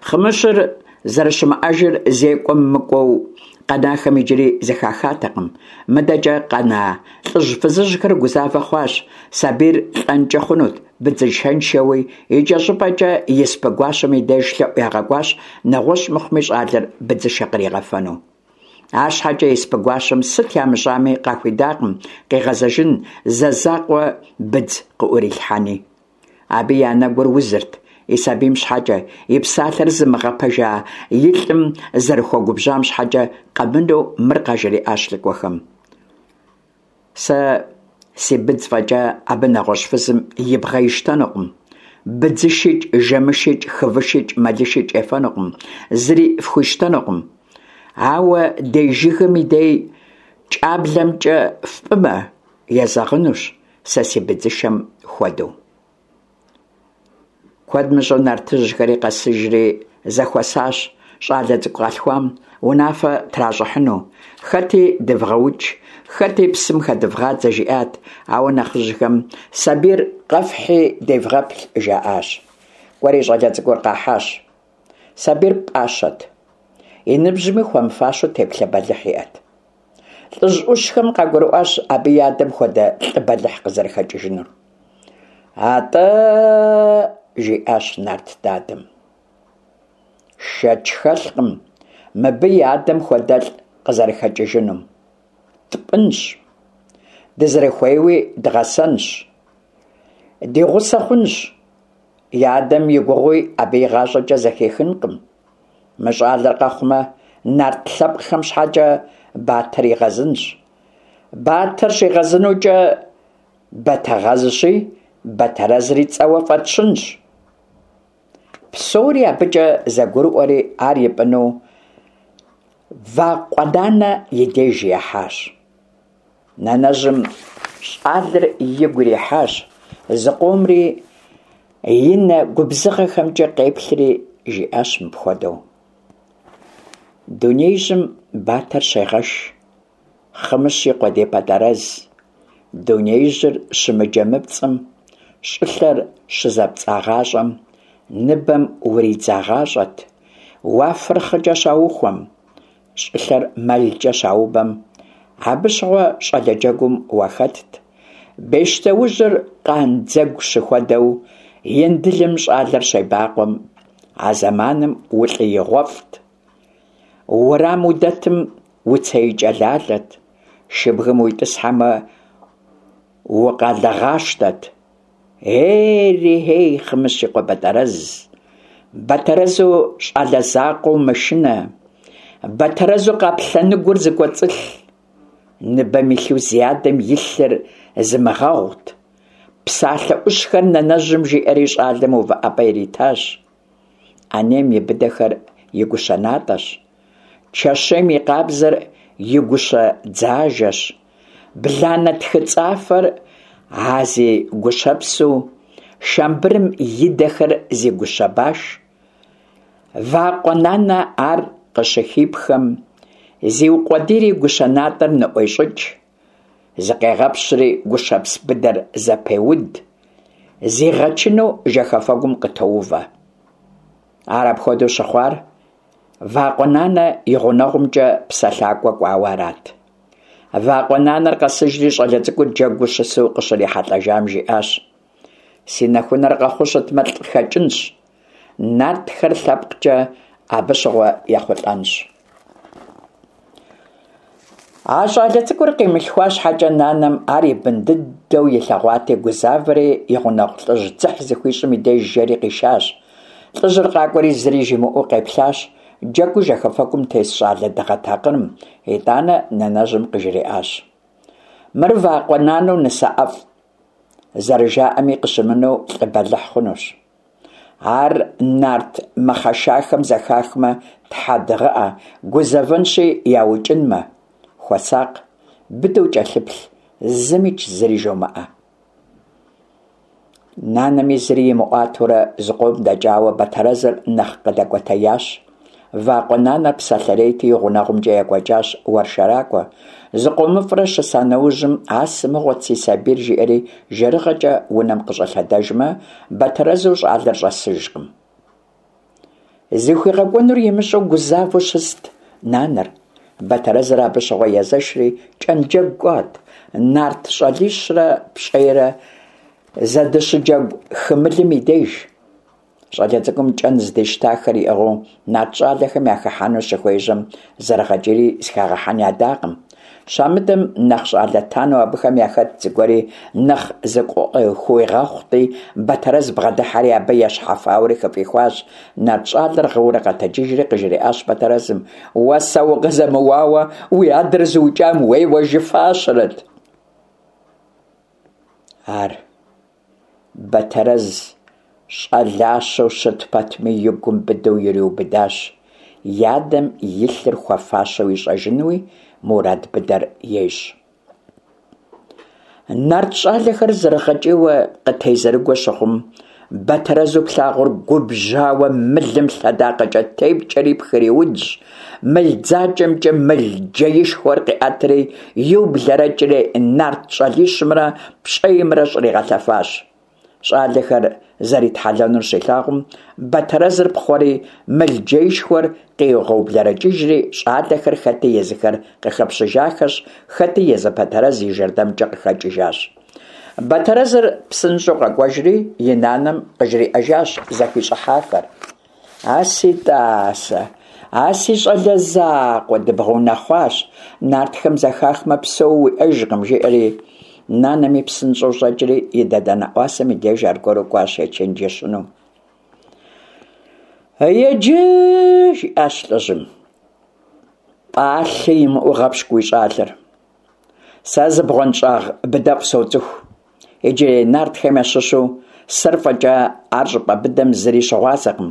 Хъымыщыр зэрыщымыӀэжыр зекӀуэм мыкӀуэу къэнахэм иджыри зэхахатэкъым. МыдэкӀэ къэна лӀыжь-фызыжьхэр гузавэ хъуащ, сабийр лӀэнкӀэ хъунут быдзышэншэуи, икӀэщӀыпӀэкӀэ испы гуащэм и деж лъэӀу ягъэкӀуащ, нэгъуэщӀ мыхъуми щӀалэр быдзышэ къригъэфэну. АрщхьэкӀэ испы гуащэм сыт ямыщӀами къахуидакъым къигъэзэжын, зэ закъуэ быдз къыӀурилъхьэни. Абы и анэгур узырт и сабийм щхьэкӀэ, и псалъэр зымыгъэпэжа и лӀым зэрыхуэгубжьам щхьэкӀэ къэмынэу мыр къажриӀащ лӀыкӀуэхэм: «Сэ си быдз фӀэкӀа абы нэгъуэщӀ фызым и бгъэ ищтэнукъым, быдзышикӀ, жэмышикӀ, хывышикӀ, мэлышикӀ ефэнукъым, зыри фхуищтэнукъым. Ауэ дей жыгым и дей кӀаблэмкӀэ фпӀымэ, езэгъынущ, сэ си быдзышэм хуэдэу». Куэд мыщӀэу нартыжьхэри къэсыжри зэхуэсащ щӀалэ цӀыкӀу къалъхуам унафэ тращӀыхьыну. Хэти дывгъэукӀ, хэти псым хэдывгъадзэ жиӀат, ауэ нэхъыжьхэм сабийр къэфхьи девгъэплъ жаӀащ. КӀуэри щӀалэ цӀыкӀур къахьащ. Сабийр пӀащэт, и ныбжьми хуэмыфащэу теплъэ бэлыхь иӀэт. ЛӀыжь Ӏущхэм къагурыӀуащ абы и адэм хуэдэ лӀы бэлыхь къызэрыхэкӀыжынур. «АтӀэ, – жиӀащ нарт дадэм, – шэч хэлъкъым мыбы и адэм хуэдэлӀ къызэрыхэкӀыжынум. ТпӀынщ, дызэрыхуейуи дгъэсэнщ, ди гъусэ хъунщ, и адэм и гугъуи абы игъащӀэкӀэ зэхихынкъым. Мы щӀалэр къэхъумэ, нарт лъэпкъхэм щхьэкӀэ батэр игъэзынщ. Батэр щигъэзынукӀэ Батэгъэзщи, Батэрэзри цӀэуэ фӀэтщынщ». Псори абыкӀэ зэгурыӀуэри ар ипӀыну Вакъуэ-нанэ и деж яхьащ. Нанэжьым щӀалэр игу ирихьащ, зыкъомри и нэ губзыгъэхэмкӀэ къеплъри, жиӀащ мыпхуэдэу: «Дунеижьым батэр щегъэш, Хъымыщ и къуэ ди Батэрэз. Дунеижьыр щымыджэмыпцӀым, щӀылъэр щызэпцӀагъащӀэм, ныбэм уридзагъащӀэт, уафэр хъыкӀэ щаухуэм, щӀылъэр мэлкӀэ щаубэм, абы щыгъуэ щӀалэ джэгум уахэтт. Бещтоужьыр къандзэгу щыхуэдэу, Индылым щӀалэр щебакъуэм, а зэманым улӀыигъуэфӀт. Уэрам удэтым уцеикӀэлалэт, шыбгым уитӀысхьэмэ, укъэлыгъащтэт. Ери-хей, Хъымыщ и къуэ Батэрэз, Батэрэзу щӀалэ закъуэу мышынэ, Батэрэзу къаплъэныгур зыкӀуэцӀылъ, ныбэм илъу зи адэм и лъыр зымыгъэгъут». Псалъэ Ӏущхэр нанэжьым жиӀэри щӀалэм увыӀэпӀэ иритащ. Ӏэнейм и быдэхэр и гущэ натӀэщ, чэщейм и къабзэр и гущэ дзажэщ, бланэ тхыцӀафэр а зи гущэпсу, шамбырым и дэхэр зи гущэ баш. Вакъуэ-нанэ ар къыщыхипхэм, зеукъуэдийри гущэ натӀэр ныӀуещӀыкӀ, зыкъегъэпщри гущэпс быдэр зэпеуд, зигъэчыну жэхэфэгум къытоувэ. Ар апхуэдэу щыхъуар Вакъуэ-нанэ и гъунэгъумкӀэ псэлъакӀуэ кӀуауэ арат. Вакъуэ-нанэр къэсыжри щӀалэ цӀыкӀур джэгуу щысу къыщрихьэлӀэжам жиӀащ: «Си нэхунэр къэхъуу щытмэ, лӀы хэкӀынщ, нартхэр лъэпкъкӀэ абы щыгъуэ ехъулӀэнщ». А щӀалэ цӀыкӀур къимылъхуа щхьэкӀэ, нанэм ар и бын дыдэу илъэгъуати, гузавэри и гъунэгъу лӀыжь дзыхь зыхуищӀым и деж жэри къишащ. ЛӀыжьыр къакӀуэри зыри жимыӀэу къеплъащ джэгуу жьэхэфэкӀум тес щӀалэ дыгъэ такъырым, итӀанэ нанэжьым къыжриӀащ: «Мыр вакъуэ нанэу нысэ ӀэфӀ зэрыжаӀэми къыщымынэу, лӀы бэлыхь хъунущ. Ар нарт мэхъэшахэм зэхахмэ, тхьэ дыгъыӀэ, гузэвэнщи яукӀынмэ. Хуэсакъ, быдэу кӀэлъыплъ, зымикӀ зыри жомыӀэ». Нанэми зыри имыӀуатэурэ зыкъом дэкӀауэ, Батэрэзыр нэхъ къыдэкӀуэтеящ. Вакъуэ нанэр псэлъэрейти, и гъунэгъумкӀэ екӀуэкӀащ уэршэракӀуэ. ЗыкъомыфӀрэ щыса нэужьым, «А сымыгъуэт си сабийр» жиӀэри жэрыгъэкӀэ унэм къыщӀэлъэдэжмэ, Батэрэзу щӀалэр щӀэсыжкъым. ЗыхуигъэкӀуэнур имыщӀэу гузавэу щыст нанэр. Батэрэзыр абы щыгъуэ езэшри кӀэнджэгу кӀуат, нарт щӀалищрэ пщӀейрэ зэдыщыджэгу хы мылым и деж. ЩӀалэ цӀыкӀум кӀэн здищтахэр иӀыгъыу нарт щӀалэхэм яхыхьэну щыхуежьэм, зэрыгъэкӀийри зыхагъэхьэн ядакъым. Щамыдэм, нэхъ щӀалэ танэу абыхэм яхэт зыгуэри нэхъ зыкъыхуигъэхъути, Батэрэз бгъэдыхьэри абы ещхьэфауэри хыфӀихуащ. Нарт щӀалэр гъыурэ къэтэджыжри къыжриӀащ Батэрэзым: «Уэ сэ укъызэмыуауэ уи адэр зыукӀам уеуэжыфащэрэт». Ар Батэрэз щӀалащэу щыт пэтми, и гум быдэу ириубыдащ, и адэм и лъыр хуэфащэу ищӀэжынуи мурад быдэр ещӀ. Нарт щӀалэхэр зэрыгъэкӀийуэ къытезэрыгуэ щыхъум, Батэрэзу плъагъур губжьауэ мылым лъэдакъэкӀэ тепкӀэри пхыриудщ, мыл дзакӀэмкӀэ мыл джеишхуэр къиӀэтри, иублэрэкӀри нарт щӀалищымрэ пщӀеймрэ щӀригъэлъэфащ. ЩӀалэхэр зэритхьэлэнур щилъагъум, Батэрэзыр пхъуэри мыл джеишхуэр къигъэублэрэкӀыжри, щӀалэхэр хэти езыхэр къыхэпщыжахэщ, хэти езы Батэрэз и жэрдэмкӀэ къыхэкӀыжащ. Батэрэзыр псынщӀэу къэкӀуэжри и нанэм къыжриӀэжащ зэхищӀыхьахэр. «А си тӀасэ, а си щӀалэ закъуэ, дыбгъэунэхъуащ, нартхэм зэхахмэ, псэу уиӀэжкъым», жиӀэри. Нанэми псынщӀэу щӀэкӀри и дадэ нэӀуасэм и деж аргуэру кӀуащ ечэнджэщыну. «Еджы, – жиӀащ лӀыжьым, – пӀалъэ имыӀэу гъэпщкӀу уи щӀалэр. Сэ зы бгъуэнщӀагъ быдэфӀ соцӀыху. Иджырей нартхэм ящыщу сэр фӀэкӀа ар щӀыпӀэ быдэм зыри щыгъуазэкъым.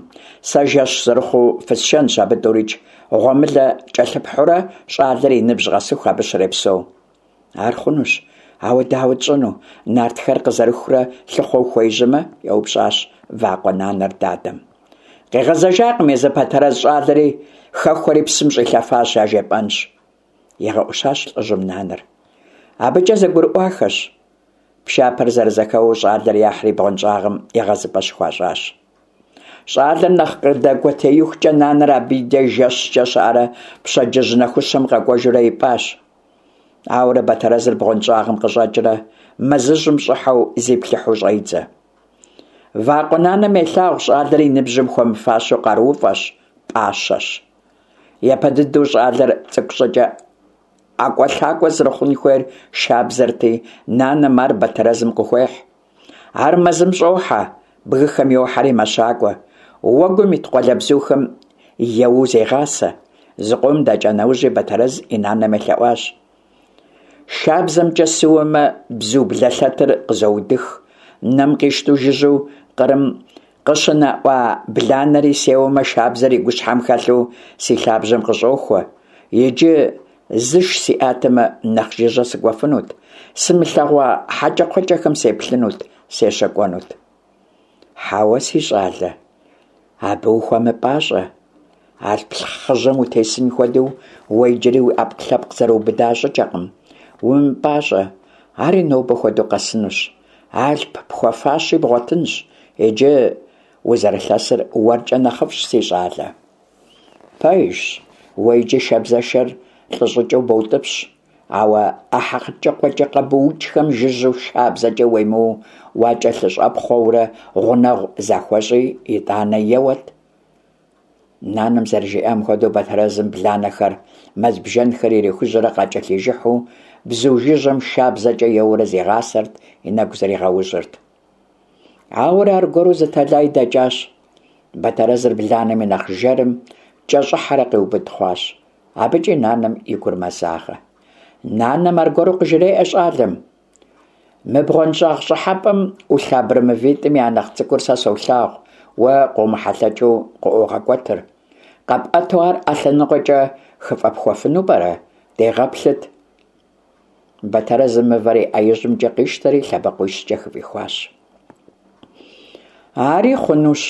Сэ жэщ зэрыхъуу фысшэнщ абы тӀурикӀ, гъуэмылэ кӀэлъыпхьурэ щӀалэр и ныбжь къэсыху абы щрепсэу». «Ар хъунущ, ауэ дауэ тщӀыну, нартхэр къызэрыхурэ лъыхъуэу хуежьэмэ?» – еупщӀащ вакъуэ нанэр дадэм. «Къигъэзэжакъым езы Батэрэз щӀалэри, хэхуэри псым щӀилъэфащ яжепӀэнщ», – игъэӀущащ лӀыжьым нанэр. АбыкӀэ зэгурыӀуахэщ. Пшапэр зэрызэхэуэу щӀалэр яхьри бгъуэнщӀагъым егъэзыпӀэ щыхуащӀащ. ЩӀалэр нэхъ къыдэкӀуэтеихукӀэ нанэр абы и деж жэщкӀэ щыӀэрэ пщэдджыжь нэхущым къэкӀуэжурэ ипӀащ. Ауэрэ Батэрэзыр бгъуэнщӀагъым къыщӀэкӀрэ мэзыжьым щӀыхьэу зиплъыхьу щӀедзэ. Вакъуэ нанэм елъагъу щӀалэр и ныбжьым хуэмыфащэу къарууфӀэщ, пӀащэщ. Япэ дыдэу щӀалэр цӀыкӀу щӀыкӀэ ӀэкӀуэлъакӀуэ зэрыхъун хуейр шабзэрти, нанэм ар Батэрэзым къыхуехь. Ар мэзым щӀохьэ, бгыхэм йохьэри мэщакӀуэ, уэгум ит къуалэбзухэм еуэу зегъасэ. Зыкъом дэкӀа нэужьи Батэрэз и нанэм елъэӀуащ: «ШабзэмкӀэ сыуэмэ, бзу блэлъэтыр къызоудых, нэм къищтэу жыжьэу къырым къыщынэӀуа бланэри сеуэмэ, шабзэр и гущхьэм хэлъу си лъабжьэм къыщӀохуэ. Иджы зыш сиӀатэмэ, нэхъ жыжьэ сыкӀуэфынут, сымылъэгъуа хьэкӀэкхъуэкӀэхэм сеплъынут, сещэкӀуэнут». «Хьэуэ, си щӀалэ, абы ухуэмыпӀащӀэ. Алъп хъыжьэм утесын хуэдэу уэ иджыри уи Ӏэпкълъэпкъ зэрыубыда щӀыкӀэкъым. УмыпӀащӀэ, ари нобэ хуэдэу къэсынущ. Алъп пхуэфащи бгъуэтынщ. Иджы узэрылъэсыр уэркӀэ нэхъыфӀщ, си щӀалэ. Пэжщ, уэ иджы шабзэшэр лӀы щӀыкӀэу боутӀыпщ, ауэ а хьэкӀэкхъуэкӀэ къэбуукӀхэм жыжьэу шабзэкӀэ уемыуэу уакӀэлъыщӀэпхъуэурэ гъунэгъу захуэщӀи, итӀанэ еуэт. Нанэм зэрыжиӏам хуэдэу, Батэрэзым бланэхэр, мэз бжэнхэр ирихужьэрэ къакӀэлъижыхьу, бзу жыжьэм шабзэкӀэ еуэурэ зигъасэрт, и нэгу зригъэужьырт. Ауэрэ аргуэру зы тэлай дэкӀащ. Батэрэзыр бланэм и нэхъ жэрым кӀэщӀыхьэрэ къиубыд хъуащ. АбыкӀи нанэм и гур мэзагъэ. Нанэм аргуэру къыжреӀэ щӀалэм: «Мы бгъуэнщӀагъ щӀыхьэпӀэм Ӏулъ абрэмывитӀым я нэхъ цӀыкӀур сэ солъагъу, уэ къомыхьэлъэкӀыу къыӀуогъэкӀуэтыр. КъэпӀэту ар Ӏэ лъэныкъуэкӀэ хыфӀэпхуэфыну пӀэрэ? Дегъэплъыт». Батэрэзым мывэр и Ӏэ ижьымкӀэ къищтэри лъэбакъуищкӀэ хыфӀихуащ. Ари хъунущ,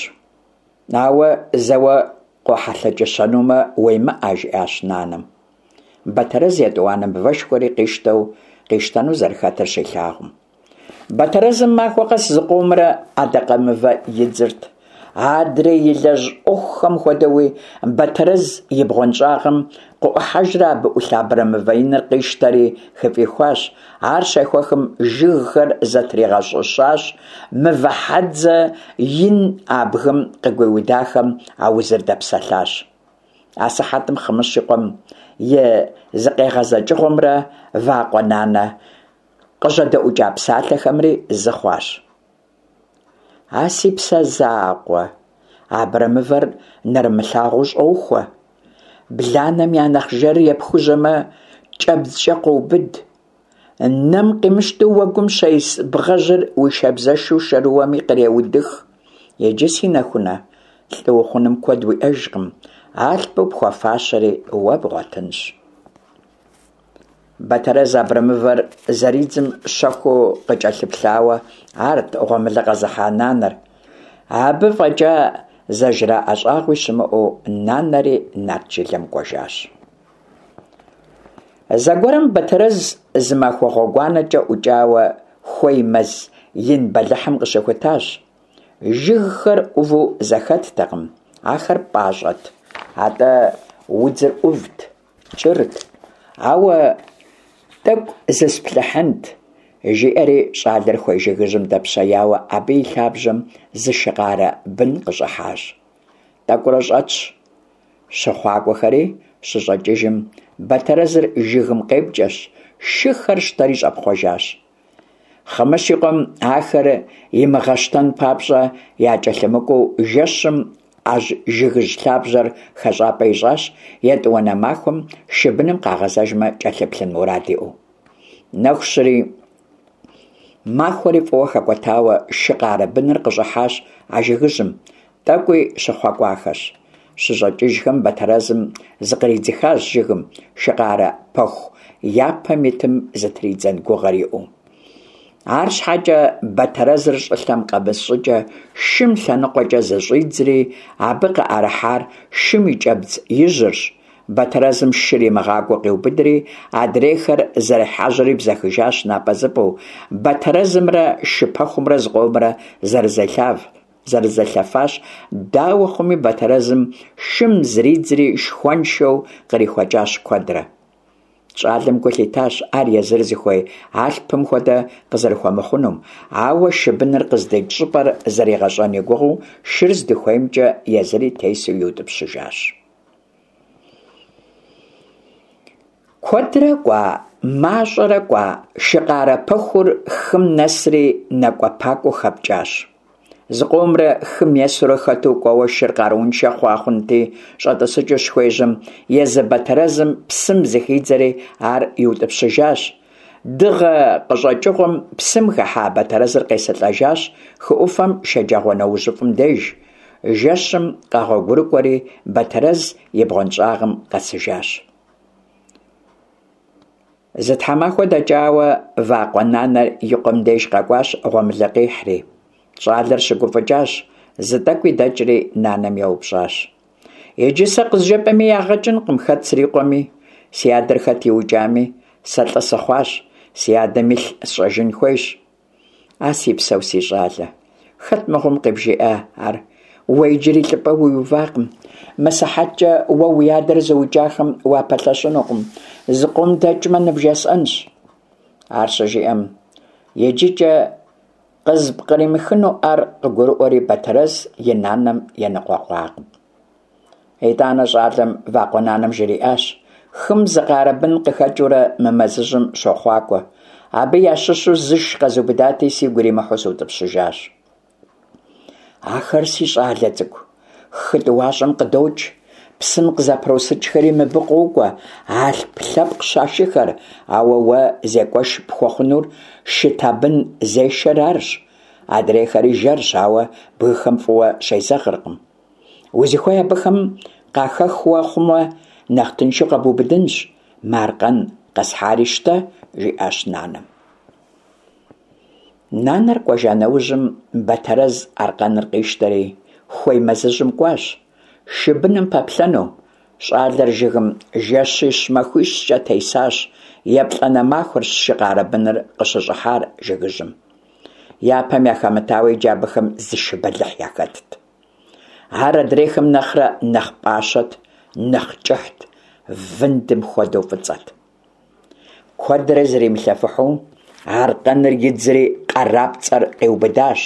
ауэ зэуэ къохьэлъэкӀыщэнумэ, уемыӀэ, жиӀащ нанэм. Батэрэз етӀуанэ мывэшхуэри къищтэу къищтэну зэрыхэтыр щилъагъум. Батэрэзым махуэ къэс зыкъомрэ адакъэмывэ идзырт. Адрей илэжь Ӏуэхухэм хуэдэуи, Батэрэз и бгъуэнщӀагъым къыӀухьэжрэ абы Ӏулъ абрэмывэ иныр къищтэри хыфӀихуащ. Ар щехуэхым жыгхэр зэтригъэщӀыщащ, мывэ хьэдзэ ин а бгым къыгуиудахэм аузыр дэпсэлъащ. Асыхьэтым Хъымыщ и къуэм и зыкъегъэзэкӀыгъуэмрэ вакъуэ нанэ къыжьэдэӀукӀа псалъэхэмри зы хъуащ. А си псэ закъуэ, абрэмывэр нэрымылъагъуу щӀохуэ. Бланэм я нэхъ жэрыр епхужьэмэ, кӀэбдзкӀэ къоубыд. Нэм къимыщтэу уэгум щес бгъэжьыр уи шабзэшэу шэрыуэми къреудых. Иджы, си нэхунэ, лӀы ухъуным куэд уиӀэжкъым, алъпу пхуэфащэри уэ бгъуэтынщ. Батэрэз абрэмывэр зэридзым щэхуу къыкӀэлъыплъауэ арт гъуэмылэ къэзыхьа нанэр. Абы фӀэкӀа зэжраӀэ щӀагъуи щымыӀэу нанэри нарт жылэм кӀуэжащ. Зэгуэрым Батэрэз зы махуэ гъуэгуанэкӀэ ӀукӀауэ хуей мэз ин бэлыхьым къыщыхутащ. Жыгхэр Ӏуву зэхэттэкъым, ахэр пӀащӀэт, атӀэ удзыр Ӏувт, кӀырт. Ауэ тӀэкӀу зысплъыхьынт, жиӀэри щӀалэр хуей жыгыжьым дэпщеяуэ абы и лъабжьэм зы шы къарэ бын къыщӀыхьащ. ТӀэкӀурэ щӀэтщ, щыхъуакӀуэхэри щыщӀэкӀыжым, Батэрэзыр жыгым къепкӀэщ, шыхэр щтэри щӀэпхъуэжащ. Хъымыщ и къуэм ахэр имыгъэщтэн папщӀэ якӀэлъымыкӀуэу жэщым а жыгыжь лъабжьэр хэщӀапӀэ ищӀащ, етӀуанэ махуэм шы быным къагъэзэжмэ кӀэлъыплъын мурад иӀэу. Нэху щыри, махуэри фӀыуэ хэкӀуэтауэ шы къарэ быныр къыщӀыхьащ а жыгыжьым, тӀэкӀуи щыхъуэкӀуахэщ. ЩыщӀэкӀыжхэм Батэрэзым зыкъридзыхащ жыгым, шы къарэ пэху япэм итым зытридзэн гугъэр иӀэу. АрщхьэкӀэ Батэрэзыр щӀылъэм къэмыс щӀыкӀэ шым лъэныкъуэкӀэ зыщӀидзри, абы къыӀэрыхьар шым и кӀэбдз ижьырщ. Батэрэзым шыр имыгъакӀуэу къиубыдри, адрейхэр зэрехьэжьэри бзэхыжащ напӀэзыпӀэу. Батэрэзымрэ шы пэхумрэ зыкъомрэ зэрызелъэфащ. Дауэ хъуми, Батэрэзым шым зридзри шхуэншэу кърихуэкӀащ куэдрэ. ЩӀалэм гу лъитащ ар езыр зыхуей алъпым хуэдэ къызэрыхуэмыхъунум, ауэ шы быныр къыздикӀ щӀыпӀэр зэригъэщӀэн и гугъэу шыр здыхуеймкӀэ езыри тесу иутӀыпщыжащ. Куэдрэ кӀуа, мащӀэрэ кӀуа, шы къарэ пэхур хым нэсри нэкӀуэпакӀуэу хэпкӀащ. Зыкъомрэ хым есурэ хэту кӀуэуэ шыр къарууншэ хъуа хъунти, щӀэтӀысыкӀыу щыхуежьэм, езы Батэрэзым псым зыхидзэри ар иутӀыпщыжащ. Дыгъэ къыщӀэкӀыгъуэм псым хыхьа Батэрэзыр къесылӀэжащ хы Ӏуфэм шэджагъуэнэужьыфӀым деж. Жэщым къэгъуэгурыкӀуэри Батэрэз и бгъуэнщӀагъым къэсыжащ. Зы тхьэмахуэ дэкӀауэ вакъуэ нанэр и къуэм деж къэкӀуащ гъуэмылэ къихьри. ЩӀалэр щыгуфӀыкӀащ, зы тӀэкӀуи дэкӀри нанэм еупщӀащ: «Иджы сэ къызжепӀэми ягъэ кӀынкъым хэт срикъуэми, си адэр хэт иукӀами, сэ лӀы сыхъуащ, си адэм илъ сщӀэжын хуейщ». «А си псэу си щӀалэ, хэт мыгъуэм къыбжиӀа ар? Уэ иджыри лӀыпӀэ уиувакъым. Мы сыхьэткӀэ уэ уи адэр зыукӀахэм уапэлъэщынукъым, зыкъом дэкӀмэ ныбжесӀэнщ». Ар щыжиӀэм, иджыкӀэ къызыпкъримыхыну ар къыгурыӀуэри, Батэрэз и нанэм еныкъуэкъуакъым. Итӏанэ щӏалэм вакъуэ нанэм жриӏащ: «Хым зы къарэ бын къыхэкӏыурэ мы мэзыжьым щохъуакӏуэ. Абы ящыщу зыш къэзубыдати, сигу иримыхьу сыутӏыпщыжащ». «Ахэр, си щӏалэ цӏыкӏу, хы тӏуащӏэм къыдокӏ, псым къызэпросыкӏхэри мыбы къокӏуэ, алъп лъэпкъщ а шыхэр, ауэ уэ зекӏуэш пхуэхъунур шы табын зешэр арщ, адрейхэри жэрщ, ауэ бгыхэм фӏыуэ щезэгъыркъым. Узыхуей абыхэм къахэхуэ хъумэ, нэхъ тыншу къэбубыдынщ, мы аркъэн къэсхьари щтэ», – жиӏащ нанэм. Нанэр кӏуэжа нэужьым, Бэтэрэз аркъэныр къищтэри, хуей мэзыжьым кӏуащ, шы быным пэплъэну. Щӏалэр жыгым жэщищ-махуищкӏэ тесащ, еплӏанэ махуэрщ шы къарэ быныр къыщыщӏыхьар жыгыжьым. Япэм яхэмытауэ иджы абыхэм зы шы бэлыхь яхэтт. Ар адрейхэм нэхърэ нэхъ пӏащэт, нэхъ кӏыхьт, вындым хуэдэу фӏыцӏэт. Куэдрэ зримылъэфыхьу, аркъэныр идзри къарапцӏэр къиубыдащ,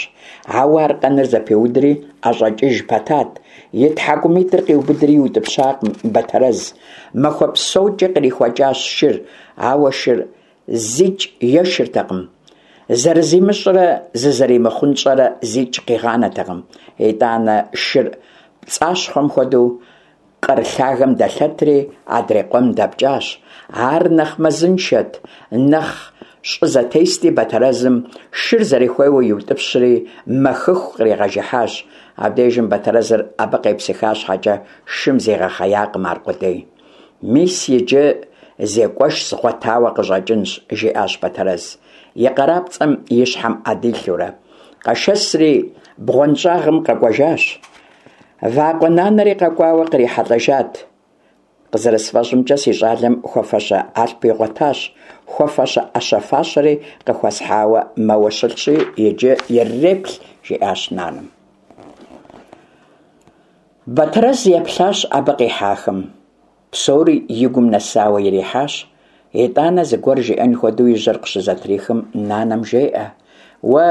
ауэ аркъэныр зэпиудри ӏэщӏэкӏыж пэтат, и тхьэкӏумитӏыр къиубыдри иутӏыпщакъым Бэтэрэз. Махуэ псокӏэ кърихуэкӏащ шыр, ауэ шыр зикӏ ешыртэкъым. Зэрызимыщӏрэ зызэримыхъунщӏэрэ зикӏ къигъанэтэкъым. Итӏанэ шыр пцӏащхъуэм хуэдэу къыр лъагэм дэлъэтри, адрей къуэм дэпкӏащ. Ар нэхъ мэзыншэт, нэхъ щӏы зэтести, Бэтэрэзым шыр зэрыхуейуэ иутӏыпщри, мэхыху къригъэжыхьащ. Абдежым Бэтэрэзыр абы къепсыха щхьэкӏэ, шым зигъэхъеякъым аркъудей. «Мис иджы зекӏуэш згъуэтауэ къыщӏэкӏынщ», – жиӏащ Бэтэрэз, и къарапцӏэм и щхьэм ӏэ дилъэурэ. Къэшэсри бгъуэнщӏагъым къэкӏуэжащ. Вакъуэ нанэри къэкӏуауэ кърихьэлӏэжат. «Къызэрысфӏэщӏымкӏэ, си щӏалэм хуэфэщэ алъп игъуэтащ, хуэфэщэ ӏэщэ-фащэри къыхуэсхьауэ мэуэ щылъщи, иджы ирыреплъ», – жиӏащ нанэм. Бэтэрэз еплъащ абы къихьахэм. Псори и гум нэсауэ ирихьащ. Итӏанэ зыгуэр жиӏэн хуэдэу и жьэр къыщызэтрихым, нанэм жеӏэ: «Уэ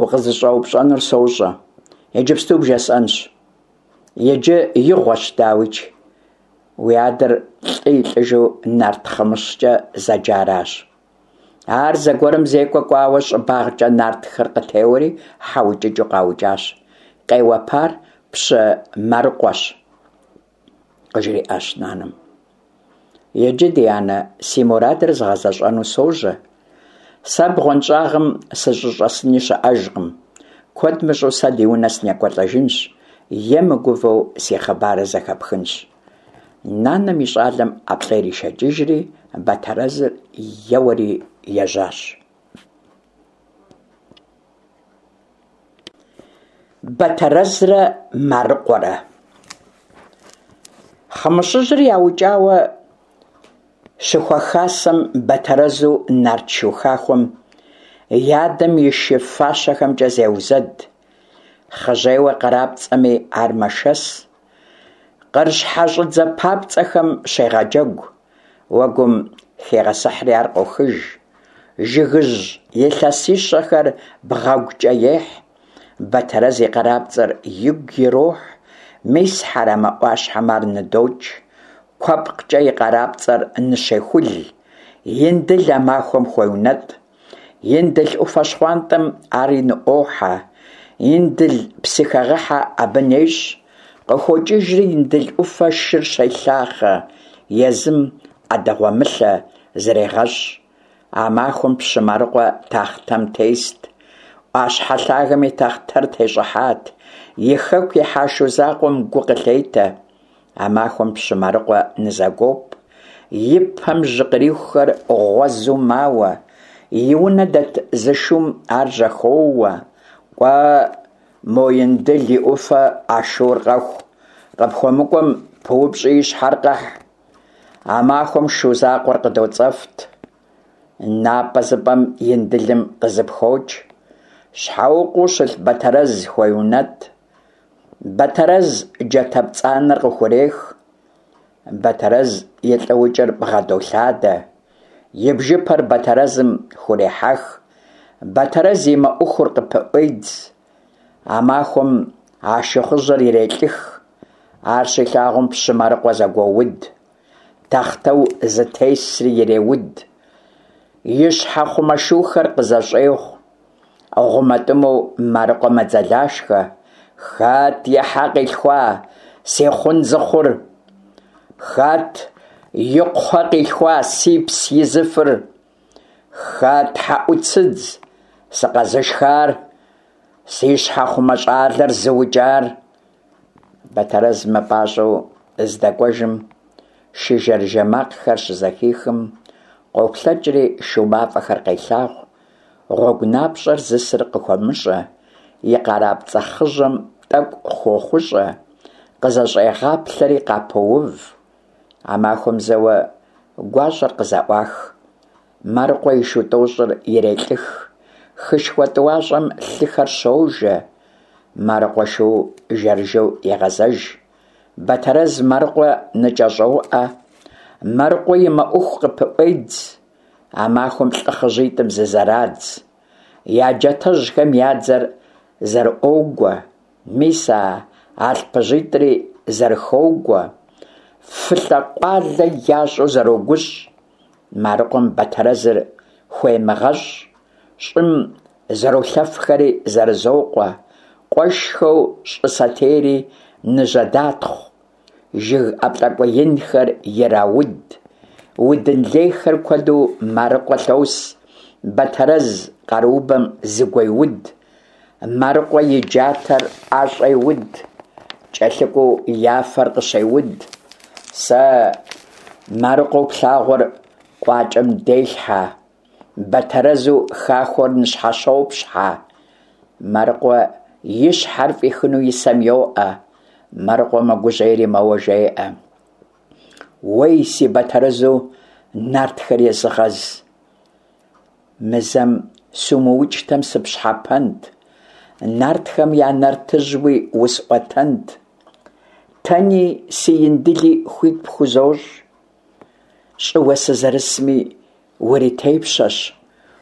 укъызыщӏэупщӏэнур сощӏэ, иджыпсту бжесӏэнщ. Иджы игъуэщ, дауикӏ. Уи адэр лӏы и лӏыжу нарт Хъымыщкӏэ зэджаращ. Ар зэгуэрым зекӏуэ кӏуауэ щӏыбагъкӏэ нартхэр къытеуэри хьэ укӏыкӏэу къаукӏащ. Къеуэпар пщы Марыкъуэщ», – къыжриӏащ нанэм. «Иджы, ди анэ, си мурадыр згъэзэщӏэну сожьэ. Сэ бгъуэнщӏагъым сыщӏыщӏэсыни щыӏэжкъым. Куэд мыщӏэу сэ ди унэ сынекӏуэлӏэжынщ, е мыгувэу си хъыбарыр зэхэпхынщ». Нанэм и щӏалэм ӏэплӏэ иришэкӏыжри, Бэтэрэзыр еуэри ежьащ. Бэтэрэзрэ Марыкъуэрэ. Хъымыщыжьыр яукӏауэ щыхуэхасэм, Бэтэрэзу нарт шу хахуэм и адэм и шы фащэхэмкӏэ зеузэд. Хъыжьейуэ къарапцӏэми ар мэшэс. Къыр щхьэщӏыдзэ папцӏэхэм щегъэджэгу. Уэгум хегъэсыхьри ар къохыж. Жыгыжь илъэсищэхэр бгъэгукӏэ ехь. Бэтэрэз и къарапцӏэр игу ирохь. Мис Хьэрэмэ ӏуащхьэм ар ныдокӏ. Куэпкъкӏэ и къарапцӏэр ныщехул. Индыл а махуэм хуеунэтӏ. Индыл ӏуфэ щхъуантӏэм ари ныӏуохьэ. Индыл псыхэгъэхьэ абы нещӏ. Къыхокӏыжри Индыл ӏуфэ шыр щелъахъэ, езым ӏэдэгъуэмылъэ зрегъэщӏ. А махуэм пщы Марыкъуэ тахътэм тест. ӏуащхьэ лъагэм и тахътэр тещӏыхьат. И хэку ихьа шу закъуэм гу къылъетэ. А махуэм пщы Марыкъуэ нызэгуоп. И пэм жьы кърихухэр гъуэзу мауэ. И унэ дэт зы шум ар жьэхоуэ. «Кӏуэ, мо Индыл и ӏуфэ а шур къэху, къыпхуэмыкӏуэм пыупщӏи и щхьэр къэхь». А махуэм шу закъуэр къыдоцӏэфт. Напӏэ зыпӏэм Индылым къызыпхокӏ. Щхьэукъуэу щылъ Бэтэрэз хуеунэтӏ. Бэтэрэз джатэ пцӏанэр къыхурех. Бэтэрэз и лӏыукӏыр бгъэдолъадэ. И бжыпэр Бэтэрэзым хурехьэх. Бэтэрэз и мэӏухур къыпыӏуедз. А махуэм а шыхъужьыр ирелӏых. Ар щилъагъум пщы Марыкъуэ зэгуоуд, тахътэу зытесри иреуд, и щхьэхъумэ шухэр къызэщӏегъу. Гъумэтӏымэу Марыкъуэ мэдзэлашхэ: «Хэт и хьэ къилъхуа си хъун зыхъур? Хэт и кхъуэ къилъхуа сипс изыфыр? Хэт хьэӏуцыдз сыкъэзышхар? Си щхьэхъумэ щӏалэр зыукӏар?» Бэтэрэз мыпӏащӏэу здэкӏуэжым, шы жэрыжэ макъхэр щызэхихым, къоплъэкӏри шу мафӏэхэр къелъагъу, гъуэгу напщӏэр зысыр къыхуэмыщӏэ, и къарапцӏэ хъыжьэм тӏэкӏу хуохъущӏэ, къызэщӏегъаплъэри къапоув. А махуэм зэуэ гуащӏэр къызэӏуах, Марыкъуэ и шу тӏощӏыр ирелӏых, хышхуэ тӏуащӏэм лъыхэр щожэ, Марыкъуэ шу жэрыжэу егъэзэж. Бэтэрэз Марыкъуэ ныкӏэщӏоуӏэ, Марыкъуэ и мэӏуху къыпыӏуедз. А махуэм лӏы хъыжьитӏым зызэрадз, я джатэжьхэм я дзэр зэрыӏуогуэ, мис а алъпыжьитӏри зэрыхоугуэ, фылӏэ-къуалэ ящӏу зэрогущӏ. Марыкъуэм Бэтэрэзыр хуемыгъэщӏ, щӏым зэролъэфхэри зэрызокъуэ, къуэшхэу щӏы сэтейри ныжьэдатхъу, жыг ӏэплӏакӏуэ инхэр ирауд, удын лейхэр куэду Марыкъуэ лъос, Бэтэрэз къаруубэм зыгуеуд, Марыкъуэ и джатэр ӏэщӏеуд, кӏэлъыкӏуэу я фэр къыщеуд. Сэ Марыкъуэу плъагъур къуакӏэм делъхьэ, Бэтэрэзу хахуэр ныщхьэщопщхьэ. Марыкъуэ и щхьэр фӏихыну и сэм йоӏэ, Марыкъуэ мэгужьейри мэуэ жеӏэ: «Уей, си Бэтэрэзу нартхэр езыгъэз! Мы зэм сумыукӏтэм сыпщхьэпэнт, нартхэм я нартыжьуи усӏуэтэнт. Тэни си Индыли хуит пхузощӏ, щӏыуэ сызэрысми уритепщэщ,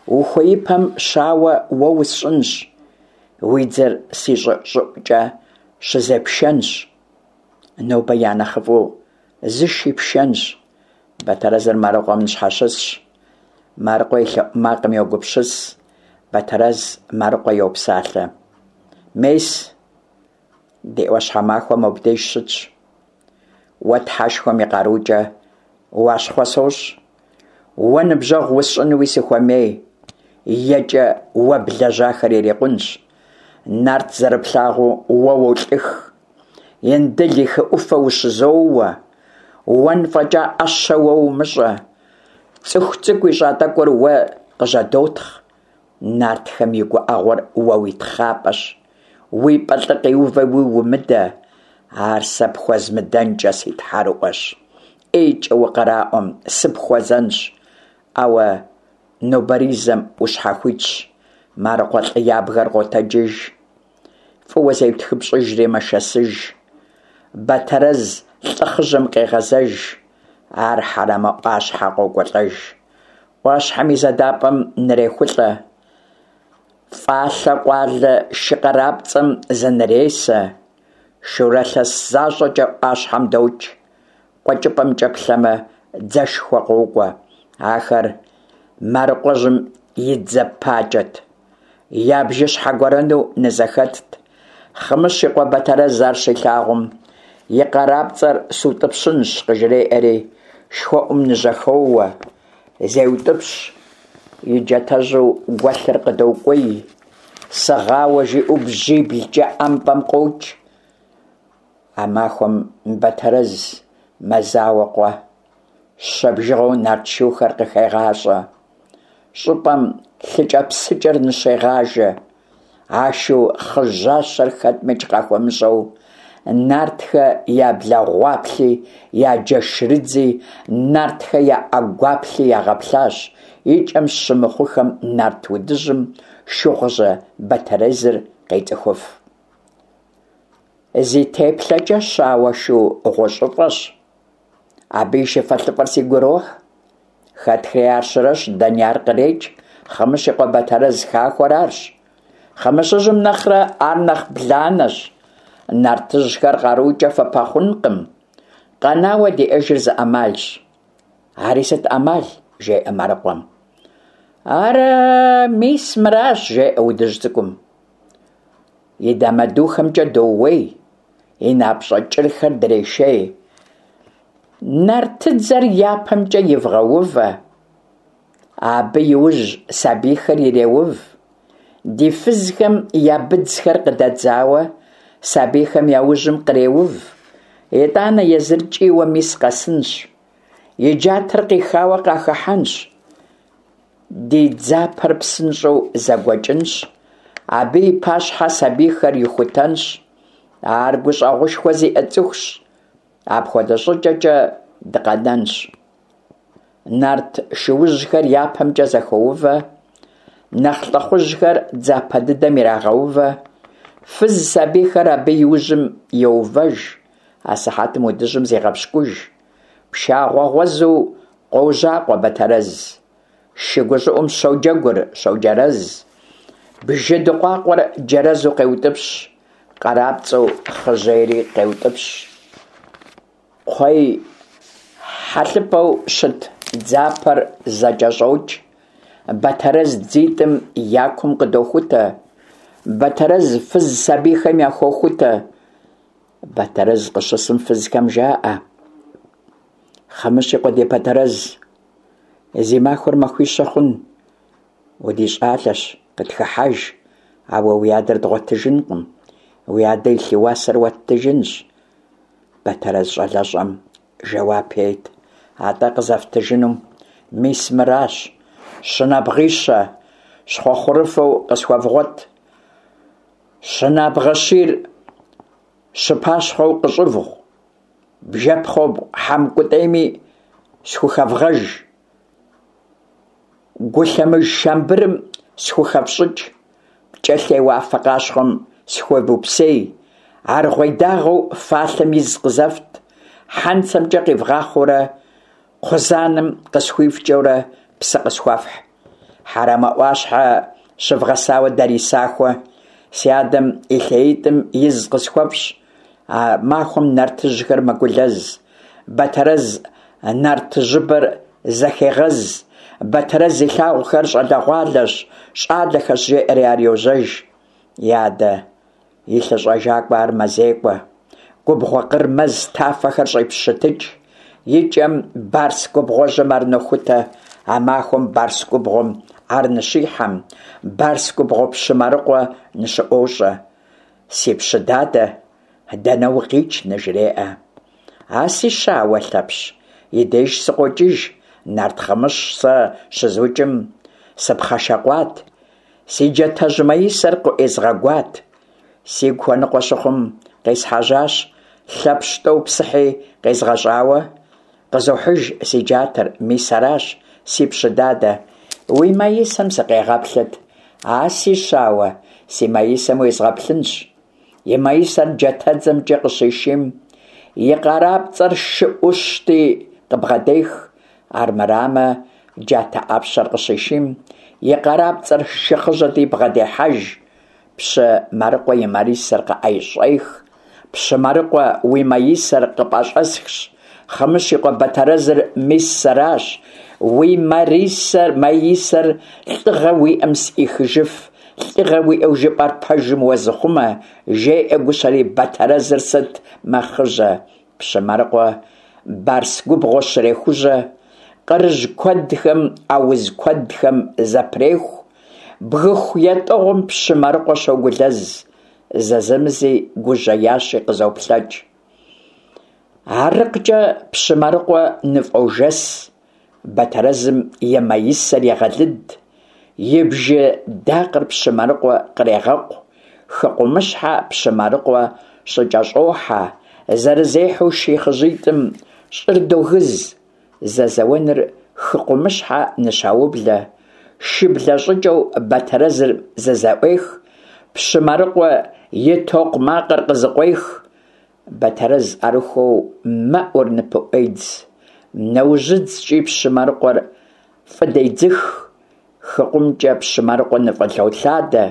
ухуеипэм щауэ уэ усщӏынщ, уи дзэр си щӏы щӏыӏукӏэ щызепшэнщ, нобэ я нэхъыфӏу зыши пшэнщ». Бэтэрэзыр Марыкъуэм ныщхьэщысщ. Марыкъуэ и лъэӏу макъым йогупсыс. Бэтэрэз Марыкъуэ йопсалъэ: «Мес, ди ӏуащхьэмахуэ мобдеж щытщ. Уэ Тхьэшхуэм и къарукӏэ уащхъуэ сощӏ. Уэ ныбжьэгъу усщӏынуи сыхуэмей, екӏэ уэ блэжьахэр ирикъунщ. Нарт зэрыплъагъуу уэ уолӏых, Индыл и хы ӏуфэ ущызоуэ, уэн фӏэкӏа ӏэщэ уэ умыщӏэ, цӏыху цӏыкӏу ищӏа тӏэкӏур уэ къыжьэдотхъ. Нартхэм и гуӏэгъуэр уэ уи тхъапӏэщ, уи пӏэ лӏы къиувэуи умыдэ, ар сэ пхуэзмыдэнкӏэ си тхьэрыӏуэщ. ӏейкӏэ укъраӏуэм, сыпхуэзэнщ, ауэ нобэризэм ущхьэхуитщ». Марыкъуэ лӏы ябгэр къотэджыж, фӏыуэ зеутхыпщӏыжри мэшэсыж. Бэтэрэз лӏы хъыжьэм къегъэзэж, ар Хьэрэмэ ӏуащхьэ къокӏуэлӏэж. Ӏуащхьэм и задапӏэм нрехулӏэ, фӏалъэ къуалэ шы къарапцӏэм зынресэ, шурэ лъэс защӏэкӏэ ӏуащхьэм докӏ. Къуэкӏыпӏэмкӏэ плъэмэ, дзэшхуэ къокӏуэ. Ахэр Марыкъуэжьым и дзэ пакӏэт, я бжыщхьэ гуэрэну нызэхэтт. Хъымыщ и къуэ Бэтэрэз ар щилъагъум, и къарапцӏэр сутӏыпщынщ къыжреӏэри, шхуэӏум ныжьэхоуэ, зеутӏыпщ, и джатэжьу гуэлъыр къыдокӏуей, сыгъауэ жиӏэу бжьиблкӏэ ӏэмпӏэм къокӏ. А махуэм Бэтэрэз мэзауэ къуэ, щэ бжыгъэу нарт шухэр къыхегъащӏэ, щӏыпӏэм лъыкӏэпсыкӏэр ныщегъажэ. А шу хъыжьащэр хэтмикӏ къахуэмыщӏэу, нартхэ я благъуаплъи, я джэшрыдзи, нартхэ я ӏэгуаплъи ягъэплъащ. Икӏэм щымыхъухэм нарт удыжьым шыгъужьэ Бэтэрэзыр къецӏыхуф. Зи теплъэкӏэ щауэ шу гъущӏыфӏэщ. Абы и шыфэлӏыфэр сигу ирохь. Хэтхри ар щырэщ, дэни ар кърекӏ, Хъымыщ и къуэ Бэтэрэз хахуэр арщ. Хъымыщыжьым нэхърэ ар нэхъ бланэщ. Нартыжьхэр къарукӏэ фыпэхъункъым, къэнауэ диӏэжыр зы ӏэмалщ. Ари сыт ӏэмал? – жеӏэ Марыкъуэм. Ар мис мыращ, – жеӏэ удыжь цӏыкӏум. И дамэдухэмкӏэ доууей, и напщӏэ кӏырхэр дрешей. Нартыдзэр япэмкӏэ ивгъэувэ, абы и ужь сабийхэр иреув. Ди фызхэм я быдзхэр къыдэдзауэ, сабийхэм я ужьым къреув. Итӏанэ езыр кӏийуэ мис къэсынщ, и джатэр къихауэ къахыхьэнщ. Ди дзапэр псынщӏэу зэгуэкӏынщ, абы и пащхьэ сабийхэр ихутэнщ. Ар гущӏэгъушхуэ зиӏэ цӏыхущ, апхуэдэ щӏыкӏэкӏэ дыкъэнэнщ. Нарт шуужьхэр япэмкӏэ зэхоувэ, нэхъ лӏыхъужьхэр дзапэ дыдэм ирагъэувэ, фыз сабийхэр абы и ужьым йоувэж. Асыхьэтым удыжьым зегъэпщкӏуж. Пшагъуэ гъуэзу къожьакъуэ Бэтэрэз. Шы гущӏыӏум щоджэгур, щоджэрэз. Бжы дыкъуакъуэр джэрэзу къеутӏыпщ, къарапцӏэу хъыжьейри къеутӏыпщ. Кхъуей хьэлъыпӏэу щыт дзапэр зэкӏэщӏокӏ. Бэтэрэз дзитӏым я кум къыдохутэ. Бэтэрэз фыз сабийхэм яхохутэ. Бэтэрэз къыщысым фызхэм жаӏэ: Хъымыщ и къуэ ди Бэтэрэз, зи махуэр махуищэ хъун, удищӏалэщ, къытхыхьэж, ауэ уи адэр дгъуэтыжынкъым, уи адэ и лъы уасэр уэттыжынщ. Бэтэрэз щӏалэщӏэм жэуап ет: Атӏэ къызэфтыжынум мис мыращ: щынабгъищэ щхъуэхъурыфэу къысхуэвгъуэт, щынабгъэ щийр щыпащхъуэу къыщӏывгъу, бжэпхъуэбгъу хьэмкӏутӏейми схухэвгъэж, гулъэмыж шамбырым схухэфщӏыкӏ, пкӏэлъей уафэ къащхъуэм схуевупсей, аргъуей дагъэу фалъэм из къызэфт, хьэнцэмкӏэ къивгъахъуэурэ кхъузанэм къысхуифкӏэурэ псы къысхуэфхь. Хьэрэмэ ӏуащхьэ щывгъэсауэ дарий сахуэ, си адэм и лъеитӏым из къысхуэфщӏ. А махуэм нартыжьхэр мэгулэз. Бэтэрэз нартыжьыбэр зэхегъэз. Бэтэрэз илъагъухэр щӏалэгъуалэщ, щӏалэхэщ, жеӏэри ар йожьэж. И адэ и лъыщӏэжакӏуэ ар мэзекӏуэ. Губгъуэ къыр мэз тафэхэр щӏепщытыкӏ. И кӏэм Барс губгъуэжьым ар нохутэ. А махуэм Барс губгъуэм ар ныщихьэм, Барс губгъуэ пщы Марыкъуэ ныщыӏуощӏэ. Си пщы дадэ, дэнэ укъикӏ? – ныжреӏэ. А си щауэ Лъэпщ и деж сыкъокӏыж, нарт Хъымыщ сэ щызукӏым сыпхъэшэкъуат, си джатэжь маисэр къыӏуезгъэгуат. Сигу хуэныкъуэ щыхъум, къесхьэжьащ, Лъэпщ тӏэу псыхьи къезгъэщӏауэ, къызохьыж си джатэр, мис аращ, си пщы дадэ. Уи маисэм сыкъегъэплъыт. А си щауэ, си маисэм уезгъэплъынщ. И маисэр джатэдзэмкӏэ къыщишийм, и къарапцӏэр шы ӏущти къыбгъэдех, армырамэ, джатэ ӏэпщэр къыщишийм, и къарапцӏэр шы хъыжьэти бгъэдехьэж. Пщы Марыкъуэ и марисэр къыӏэщӏех. Пщы Марыкъуэ, уи маисэр къыпӏэщӏэсхщ, Хъымыщ и къуэ Бэтэрэзыр мис сэращ. Уи марисэр, маисэр лӏыгъэ уиӏэм сӏихыжыф, лӏыгъэ уиӏэу жыпӏэр пэжым уэзыхъумэ, жеӏэ гущэри Бэтэрэзыр сыт мэхъыжьэ. Пщы Марыкъуэ Барс губгъуэ щрехужьэ, къырыжь куэдхэм, ауз куэдхэм зэпреху. Бгыху етӏыгъум пщы Марыкъуэ щогулэз, зэзэмызи гужьеящи къызоплъэкӏ. Арыкъкӏэ пщы Марыкъуэ ныфӏожэс, Бэтэрэзым и маисэр егъэлыд, и бжы дакъэр пщы Марыкъуэ кърегъэкъу, хыкъумыщхьэ пщы Марыкъуэ щыкӏэщӏохьэ, зэрызехьэу шей хъыжьитӏым щӏыр догыз. Зэзэуэныр хыкъумыщхьэ ныщаублэ, шыблэ щӏыкӏэу Бэтэрэзыр зызэӏуех, пщы Марыкъуэ и токъумакъыр къызыкъуех. Бэтэрэз ӏэрыхуэу мэӏур ныпыӏуедз, нэужьыдзкӏи пщы Марыкъуэр фӏыдедзых. Хыкъумкӏэ пщы Марыкъуэ ныфӏылъолъадэ,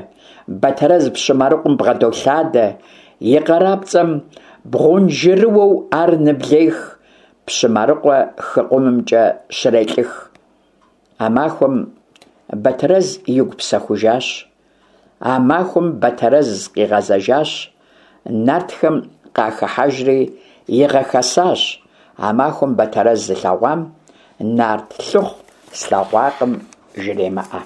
Бэтэрэз пщы Марыкъуэм бгъэдолъадэ, И къарапцӏэм бгъунжырыуэу ар ныблех, Пщы Марыкъуэ хы къумымкӏэ щырелӏых. А махуэм Батэрэз игу псэхужащ. А махуэм Батэрэз къигъэзэжащ, нартхэм къахыхьэжри игъэхэсащ. А махуэм Батэрэз зылъэгъуам нарт лӏыхъу слъэгъуакъым жремыӏэ.